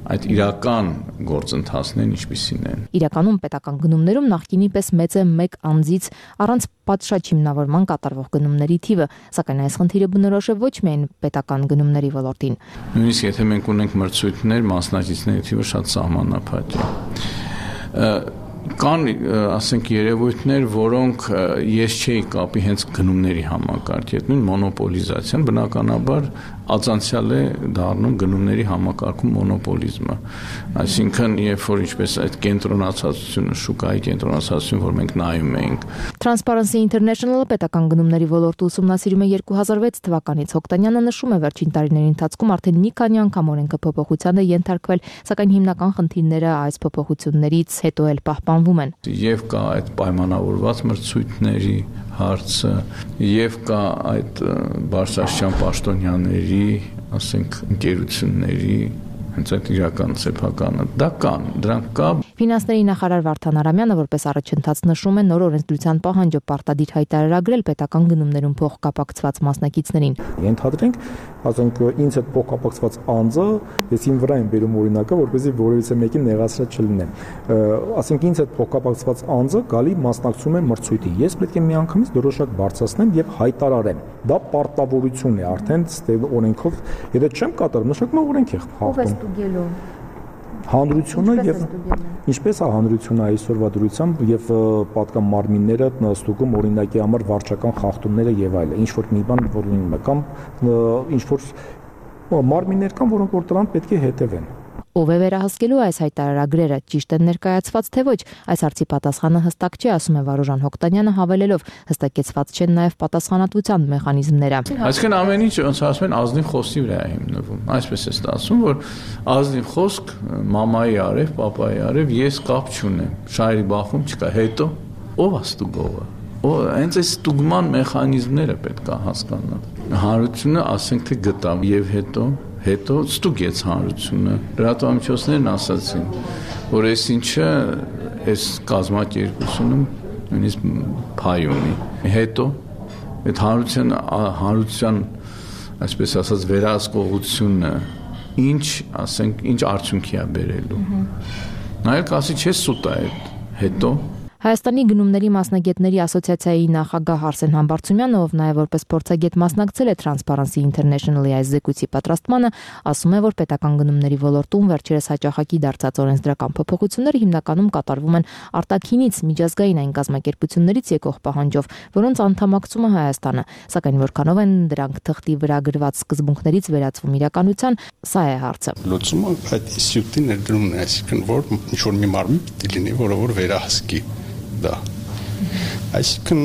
այդ իրական գործընթացներն ինչպիսին են։ Իրականում պետական գնումներում նախկինի պես մեծ է մեկ անձից առանց պատշաճ հիմնավորման կատարվող գնումների թիվը, սակայն այս խնդիրը բնորոշ է ոչ միայն պետական գնումների ոլորտին։ Նույնիսկ եթե մենք ունենք մրցույթներ, մասնակիցների թիվը շատ սահմանափակ է։ Կան, ասենք, երևույթներ, որոնք ես չէի կապի հենց գնումների համակարգի հետ, նույն մոնոպոլիզացիան բնականաբար ածանցյալ է դառնում գնումների համակարգում մոնոպոլիզմը։ Այսինքն, երբ որ ինչպես այդ կենտրոնացածությունը, շուկայի կենտրոնացածությունը, որ մենք նայում ենք։ Transparency International-ը պետական գնումների ոլորտը ուսումնասիրում է 2006 թվականից։ Հոկտանյանը նշում է, վերջին տարիների ընթացքում արդեն մի քանի անգամ օրենքը փոփոխության է ենթարկվել, սակայն հիմնական խնդիրները այս փոփոխություններից հետո էլ պահպանվում են։ Եվ կա այդ պայմանավորված մրցույթների հարցը, եւ կա այդ բարձրաստիճան պաշտոնյաների, ասենք, ընկերությունների հենց այդ իրական սեփականը դա կան, դրանք կա։ Ֆինանսների նախարար Վարդան Արամյանը որպես առաջընթաց նշում է նոր օրենսդրության պահանջը պարտադիր հայտարարագրել պետական գնումներում փոխկապակցված մասնակիցներին։ Ենթադրենք, ասենք, ինձ այդ փոխկապակցված անձը, ես իմ վրա եմ բերում օրինակը, որպեսզի որևիցե մեկին նեղացրած չլինեմ։ Ասենք, ինձ այդ փոխկապակցված անձը գալի մասնակցում է մրցույթի։ Ես պետք է միանգամից դրոշակ բարձրացնեմ եւ հայտարարեմ։ Դա պարտավորություն է արդեն օրենքով, եթե չեմ կատարում, նշանակում օրենք է խախտում։ Հանրությունը եւ ինչպես է հանրությունը այսօրվա դրությամբ եւ պատկան մարմինները ստուգում օրինակի համար վարչական խախտումները եւ այլն, ինչ որ մի բան որ լինում է կամ ինչ որ մարմիններ կան, որոնք որ դրան պետք է հետևեն։ Ով է վերահսկելու այս հայտարարագրերը, ճիշտ են ներկայացված թե ոչ, այս հարցի պատասխանը հստակ չէ, ասում է Վարուժան Հոկտանյանը, հավելելով, հստակեցված չեն նաև պատասխանատվության մեխանիզմները։ Այսինքն ամեն ինչ ոնց ասում են ազնիվ խոսքի վրա է հիմնվում։ Այսպես է ստացվում, որ ազնիվ խոսք մամայի արև, պապայի արև, ես կապ չունեմ։ Շահերի բախում չկա, հետո ով է ստուգողը։ Հենց այս ստուգման մեխանիզմները պետք է հասկանալ։ Հանրությունը ասենք թե գտավ եւ հետո ստուգեց հանրությունը։ Լրատվամիջոցներն ասացին, որ այս ինչը այս կազմակերպությունում նույնիսկ փայ ունի։ Հետո այդ հանրության այսպես ասած վերահսկողությունը ինչ արդյունքի է բերելու։ Նայել կասի չէ սուտ է հետո Հայաստանի գնումների մասնագետների ասոցիացիայի նախագահ Արսեն Համբարձումյանը, ով նաև որպես փորձագետ մասնակցել է Transparency International-ի այս զեկույցի պատրաստմանը, ասում է, որ պետական գնումների ոլորտում վերջերս հաճախակի դարձած օրենսդրական փոփոխությունները հիմնականում կատարվում են արտաքինից միջազգային այն կազմակերպություններից եկող պահանջով, որոնց անդամակցում է Հայաստանը, սակայն որքանով են դրանք թղթի վրա գրված սկզբունքներից վերածվում իրականության, սա է հարցը։ Լուծումը այդ ինստիտուտի ներդրումն է, այսինքն որ ինչ-որ մի մարմին պիտի լինի, որը վերահսկի դա։ Այսինքն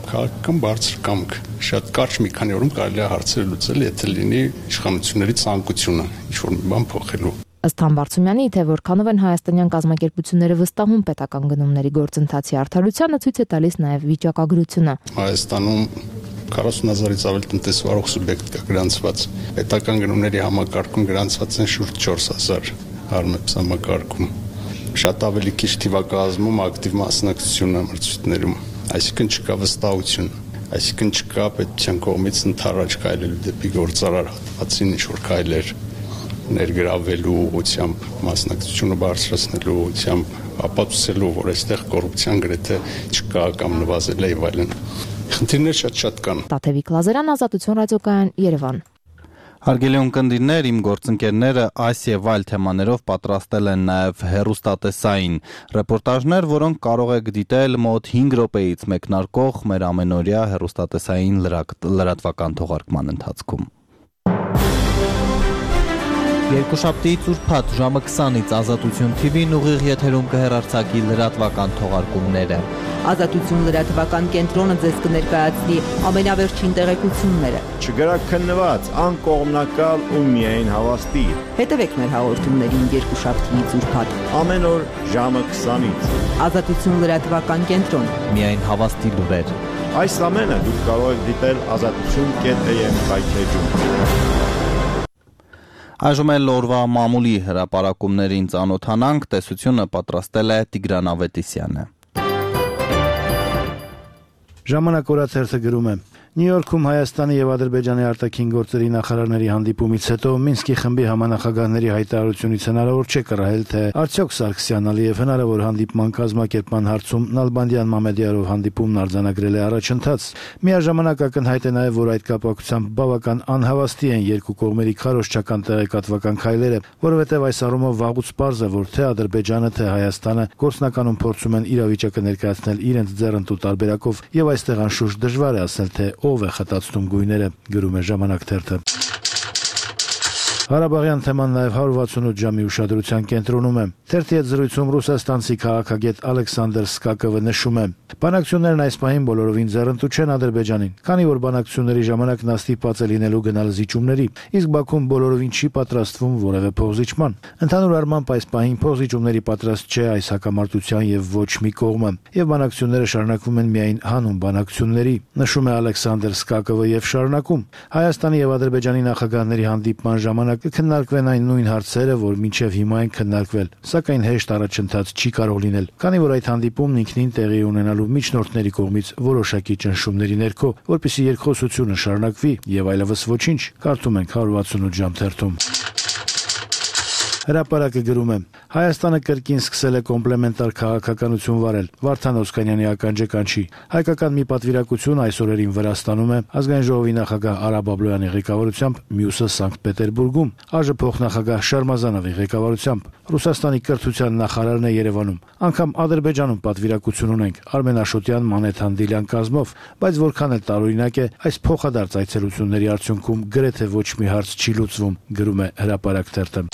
քաղաքական բարձր կամք շատ կարճ մի քանի օրում կարելի է հարցերը լուծել, եթե լինի իշխանությունների ցանկությունը ինչ-որ մի բան փոխելու։ Ըստ Համբարձումյանի, թե որքանով են հայաստանյան կազմակերպությունները վստահում պետական գնումների գործընթացի արդարությանը, ցույց է տալիս նաև վիճակագրությունը։ Հայաստանում 40,000-ից ավելի տնտեսվարող սուբյեկտ կա գրանցված։ Պետական գնումների համակարգում գրանցված են շուրջ 4,000 Harmebs համակարգում։ Շատ ավելի քիչ թիվակազմում ակտիվ մասնակցությունը մրցույթներում, այսինքն չկա վստահություն, այսինքն չկա պետության կողմից ընդառաջ քայլելու դեպի գործարար հատվածին ինչ-որ քայլեր ներգրավելու ուղղությամբ, մասնակցությունը բարձրացնելու ուղղությամբ, ապացուցելու, որ այստեղ կոռուպցիան գրեթե չկա կամ նվազել է եւ այլն։ Խնդիրներ շատ կան։ Տաթևիկ Լազարյան, Ազատություն ռադիոկայան, Երևան։ Հարգելի ունկնդիրներ, իմ գործընկերները այս եւ այլ թեմաներով պատրաստել են նաեւ հեռուստատեսային ռեպորտաժներ, որոնք կարող եք դիտել մոտ 5 րոպեից մեկնարկող մեր ամենօրյա հեռուստատեսային լրատվական թողարկման ընթացքում։ Երկուշաբթիից ուրբաթ ժամը 20-ից Ազատություն TV-ն ուղիղ եթերում կհեռարձակի լրատվական թողարկումները։ Ազատություն լրատվական կենտրոնը ձեզ կներկայացնի ամենավերջին տեղեկությունները։ Չգրաքննված, անկողմնակալ ու միայն հավաստի։ Հետևեք մեր հաղորդումներին երկուշաբթիից ուրբաթ։ Ամեն օր ժամը 20-ից։ Ազատություն լրատվական կենտրոն։ Միայն հավաստի լուրեր։ Այս ամենը դուք կարող եք դիտել azatutun.am կայքեջում։ Այժմ էլ օրվա մամուլի հրապարակումներին ծանոթանանք, տեսությունը պատրաստել է Տիգրան Ավետիսյանը։ Ժամանակ օրաթերթը գրում է. Նյու Յորքում Հայաստանի եւ Ադրբեջանի արտաքին գործերի նախարարների հանդիպումից հետո Մինսկի խմբի համանախագահների հայտարարությունից հնարավոր չէ կռահել, թե արդյոք Սարգսյանն Ալիև հնարավոր հանդիպման կազմակերպման հարցում Նալբանդյան Մամեդյարով հանդիպումն արձանագրել է առաջընթաց։ Միաժամանակ ակնհայտ է նաեւ, որ այդ կապակցությամբ բավական անհավաստի են երկու կողմերի քարոզչական տեղեկատվական քայլերը, որովհետեւ այս առումով վաղուց պարզ է, որ թե Ադրբեջանը, թե Հայաստանը գործնականում փորձում են իրավիճակը ներկայացնել իրենց ձեռնտու տարբերակով եւ այստեղ անշուշտ դժվար է ասել, թե ով է խտացնում գույները, գրում է Ժամանակ թերթը։ Ղարաբաղյան թեման նաև 168 ժամի ուշադրության կենտրոնում է։ Թերթի հետ զրույցում ռուսաստանցի քաղաքագետ Ալեքսանդր Սկակովը նշում է. բանակցություններն այս պահին բոլորովին ձեռնտու չեն Ադրբեջանին, քանի որ բանակցությունների ժամանակ նա ստիպված է լինելու գնալ զիջումների, իսկ Բաքուն բոլորովին չի պատրաստվում որևէ փոխզիջման։ Ընդհանուր առմամբ այս պահին փոխզիջումների պատրաստ չէ այս հակամարտության եւ ոչ մի կողմը, եւ բանակցությունները շարունակվում են միայն հանուն բանակցությունների, նշում է Ալեքսանդր Սկակովը եւ շարունակում. Հայաստանի եւ Ադրբեջանի նախագահների հանդիպման ժամանակ կքննարկվեն այն նույն հարցերը, որ մինչև հիմա են քննարկվել, սակայն հեշտ առաջընթաց չի կարող լինել, քանի որ այդ հանդիպումն ինքնին տեղի ունենալու միջնորդների կողմից որոշակի ճնշումների ներքո, որպեսզի երկխոսությունը շարունակվի եւ այլևս ոչինչ, կարդում ենք 168 ժամ թերթում։ Հրապարակը գրում է. Հայաստանը կրկին սկսել է կոմպլեմենտար քաղաքականություն վարել։ Վարդան Օսկանյանի ականջը կանչի։ Հայկական մի պատվիրակություն այս օրերին Վրաստանում է, ազգային ժողովի նախագահ Արա Բաբլոյանի ղեկավարությամբ, մյուսը Սանկտ Պետերբուրգում, ԱԺ փոխնախագահ Շարմազանովի ղեկավարությամբ, Ռուսաստանի կրթության նախարարն է Երևանում։ Անգամ Ադրբեջանում պատվիրակություն ունենք Արմեն Աշոտյան, Մանեթան Դիլյան կազմով, բայց որքան էլ տարօրինակ է, այս փոխադարձ այցելությունների արդյունքում գրեթե ոչ մի հարց չի լուծվում, գրում է Հրապարակ թերթը։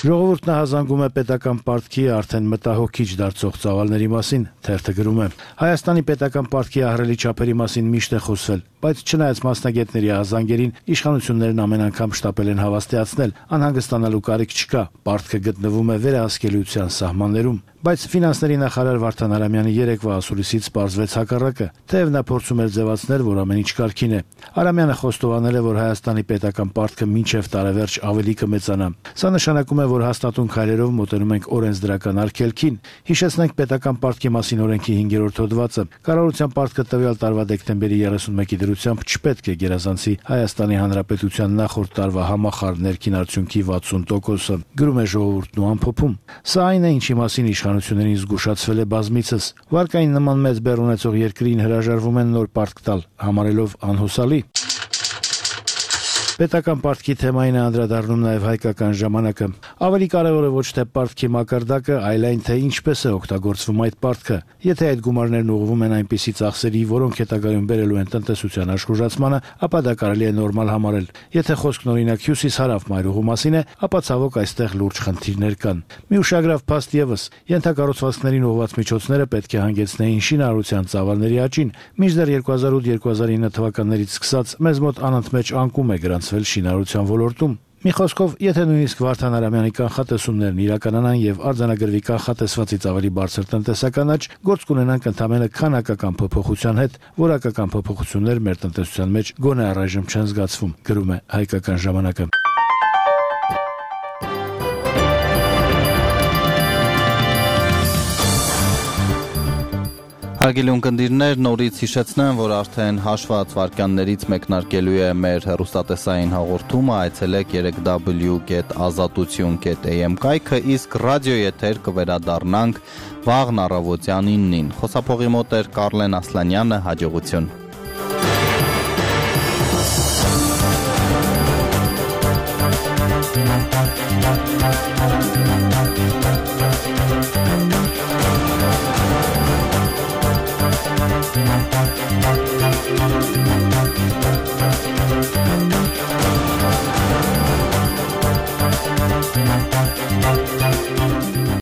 Ժողովուրդն հազանգում է պետական պարտքի արդեն մտահոգիչ դարձող ծավալների մասին, թերթը գրում է. Հայաստանի պետական պարտքի ահռելի չափերի մասին միշտ է խոսվել, բայց չնայած մասնագետների հազանգերին, իշխանություններն ամեն անգամ շտապել են հավաստիացնել, անհանգստանալու կարիք չկա, պարտքը գտնվում է վերահսկելիության սահմաններում։ Բայց ֆինանսների նախարար Վարդան Արամյանի երեկվա ասուլիսից պարզվեց հակառակը, թեև նա փորձում էր ձևացնել, որ ամեն ինչ կարգին է։ Արամյանը խոստովանել է, որ Հայաստանի պետական պարտքը մինչև տարեվերջ ավելի կմեծանա։ Սա նշանակում է, որ հաստատուն քայլերով մոտենում ենք օրենսդրական արգելքին։ Հիշեցնենք պետական պարտքի մասին օրենքի 5-րդ հոդվածը։ Կառավարության պարտքը տվյալ տարվա դեկտեմբերի 31-ի դրությամբ չպետք է գերազանցի Հայաստանի Հանրապետության նախորդ տարվա համախառն ներքին արդյունքի 60%-ը, գրում է Ժողովուրդն ու ամփոփում։ Սա այն է, ինչի մասին իշխանություններին զգուշացվել է բազմիցս։ Վարկային նման մեծ բեռ ունեցող երկրին հրաժարվում են նոր պարտք տալ, համարելով անհուսալի։ Պետական պարտքի թեմային է անդրադառնում նաև հայկական ժամանակը։ Ավելի կարևոր է ոչ թե պարտքի մակարդակը, այլ այն, թե ինչպես է օգտագործվում այդ պարտքը։ Եթե այդ գումարներն ուղղվում են այնպիսի ծախսերի, որոնք հետագայում բերելու են տնտեսության աշխուժացմանը, ապա դա կարելի է նորմալ համարել։ Եթե խոսքն օրինակ հյուսիս-հարավ մայրուղու մասին է, ապա ցավոք այստեղ լուրջ խնդիրներ կան։ Մի ուշագրավ փաստ եւս, ենթակառուցվածքներին ուղղված միջոցները պետք է հանգեցնեին շինարարության ծավալների աճին։ Մինչդեռ 2008-2009 թվականներից սկսած մեզ մոտ անընդմեջ անկում է գրանցվել շինարարության ոլորտում։ Մի խոսքով, եթե նույնիսկ Վարդան Արամյանի կանխատեսումներն իրականանան եւ արձանագրվի կանխատեսվածից ավելի բարձր տնտեսական աճ, գործ կունենանք ընդամենը քանակական փոփոխության հետ, որակական փոփոխություններ մեր տնտեսության մեջ գոնե առայժմ չեն զգացվում, գրում է Հայկական ժամանակը։ Հարգելի ունկնդիրներ, նորից հիշեցնեմ, որ արդեն հաշված վարքյաններից մեկնարկելու է մեր հեռուստատեսային հաղորդումը, այցելեք 3w.azatutun.am կայքը, իսկ ռադիոեթեր կվերադառնանք վաղն առավոտյան 9-ին։ Խոսափողի մոտ էր Կարլեն Ասլանյանը, հաջողություն։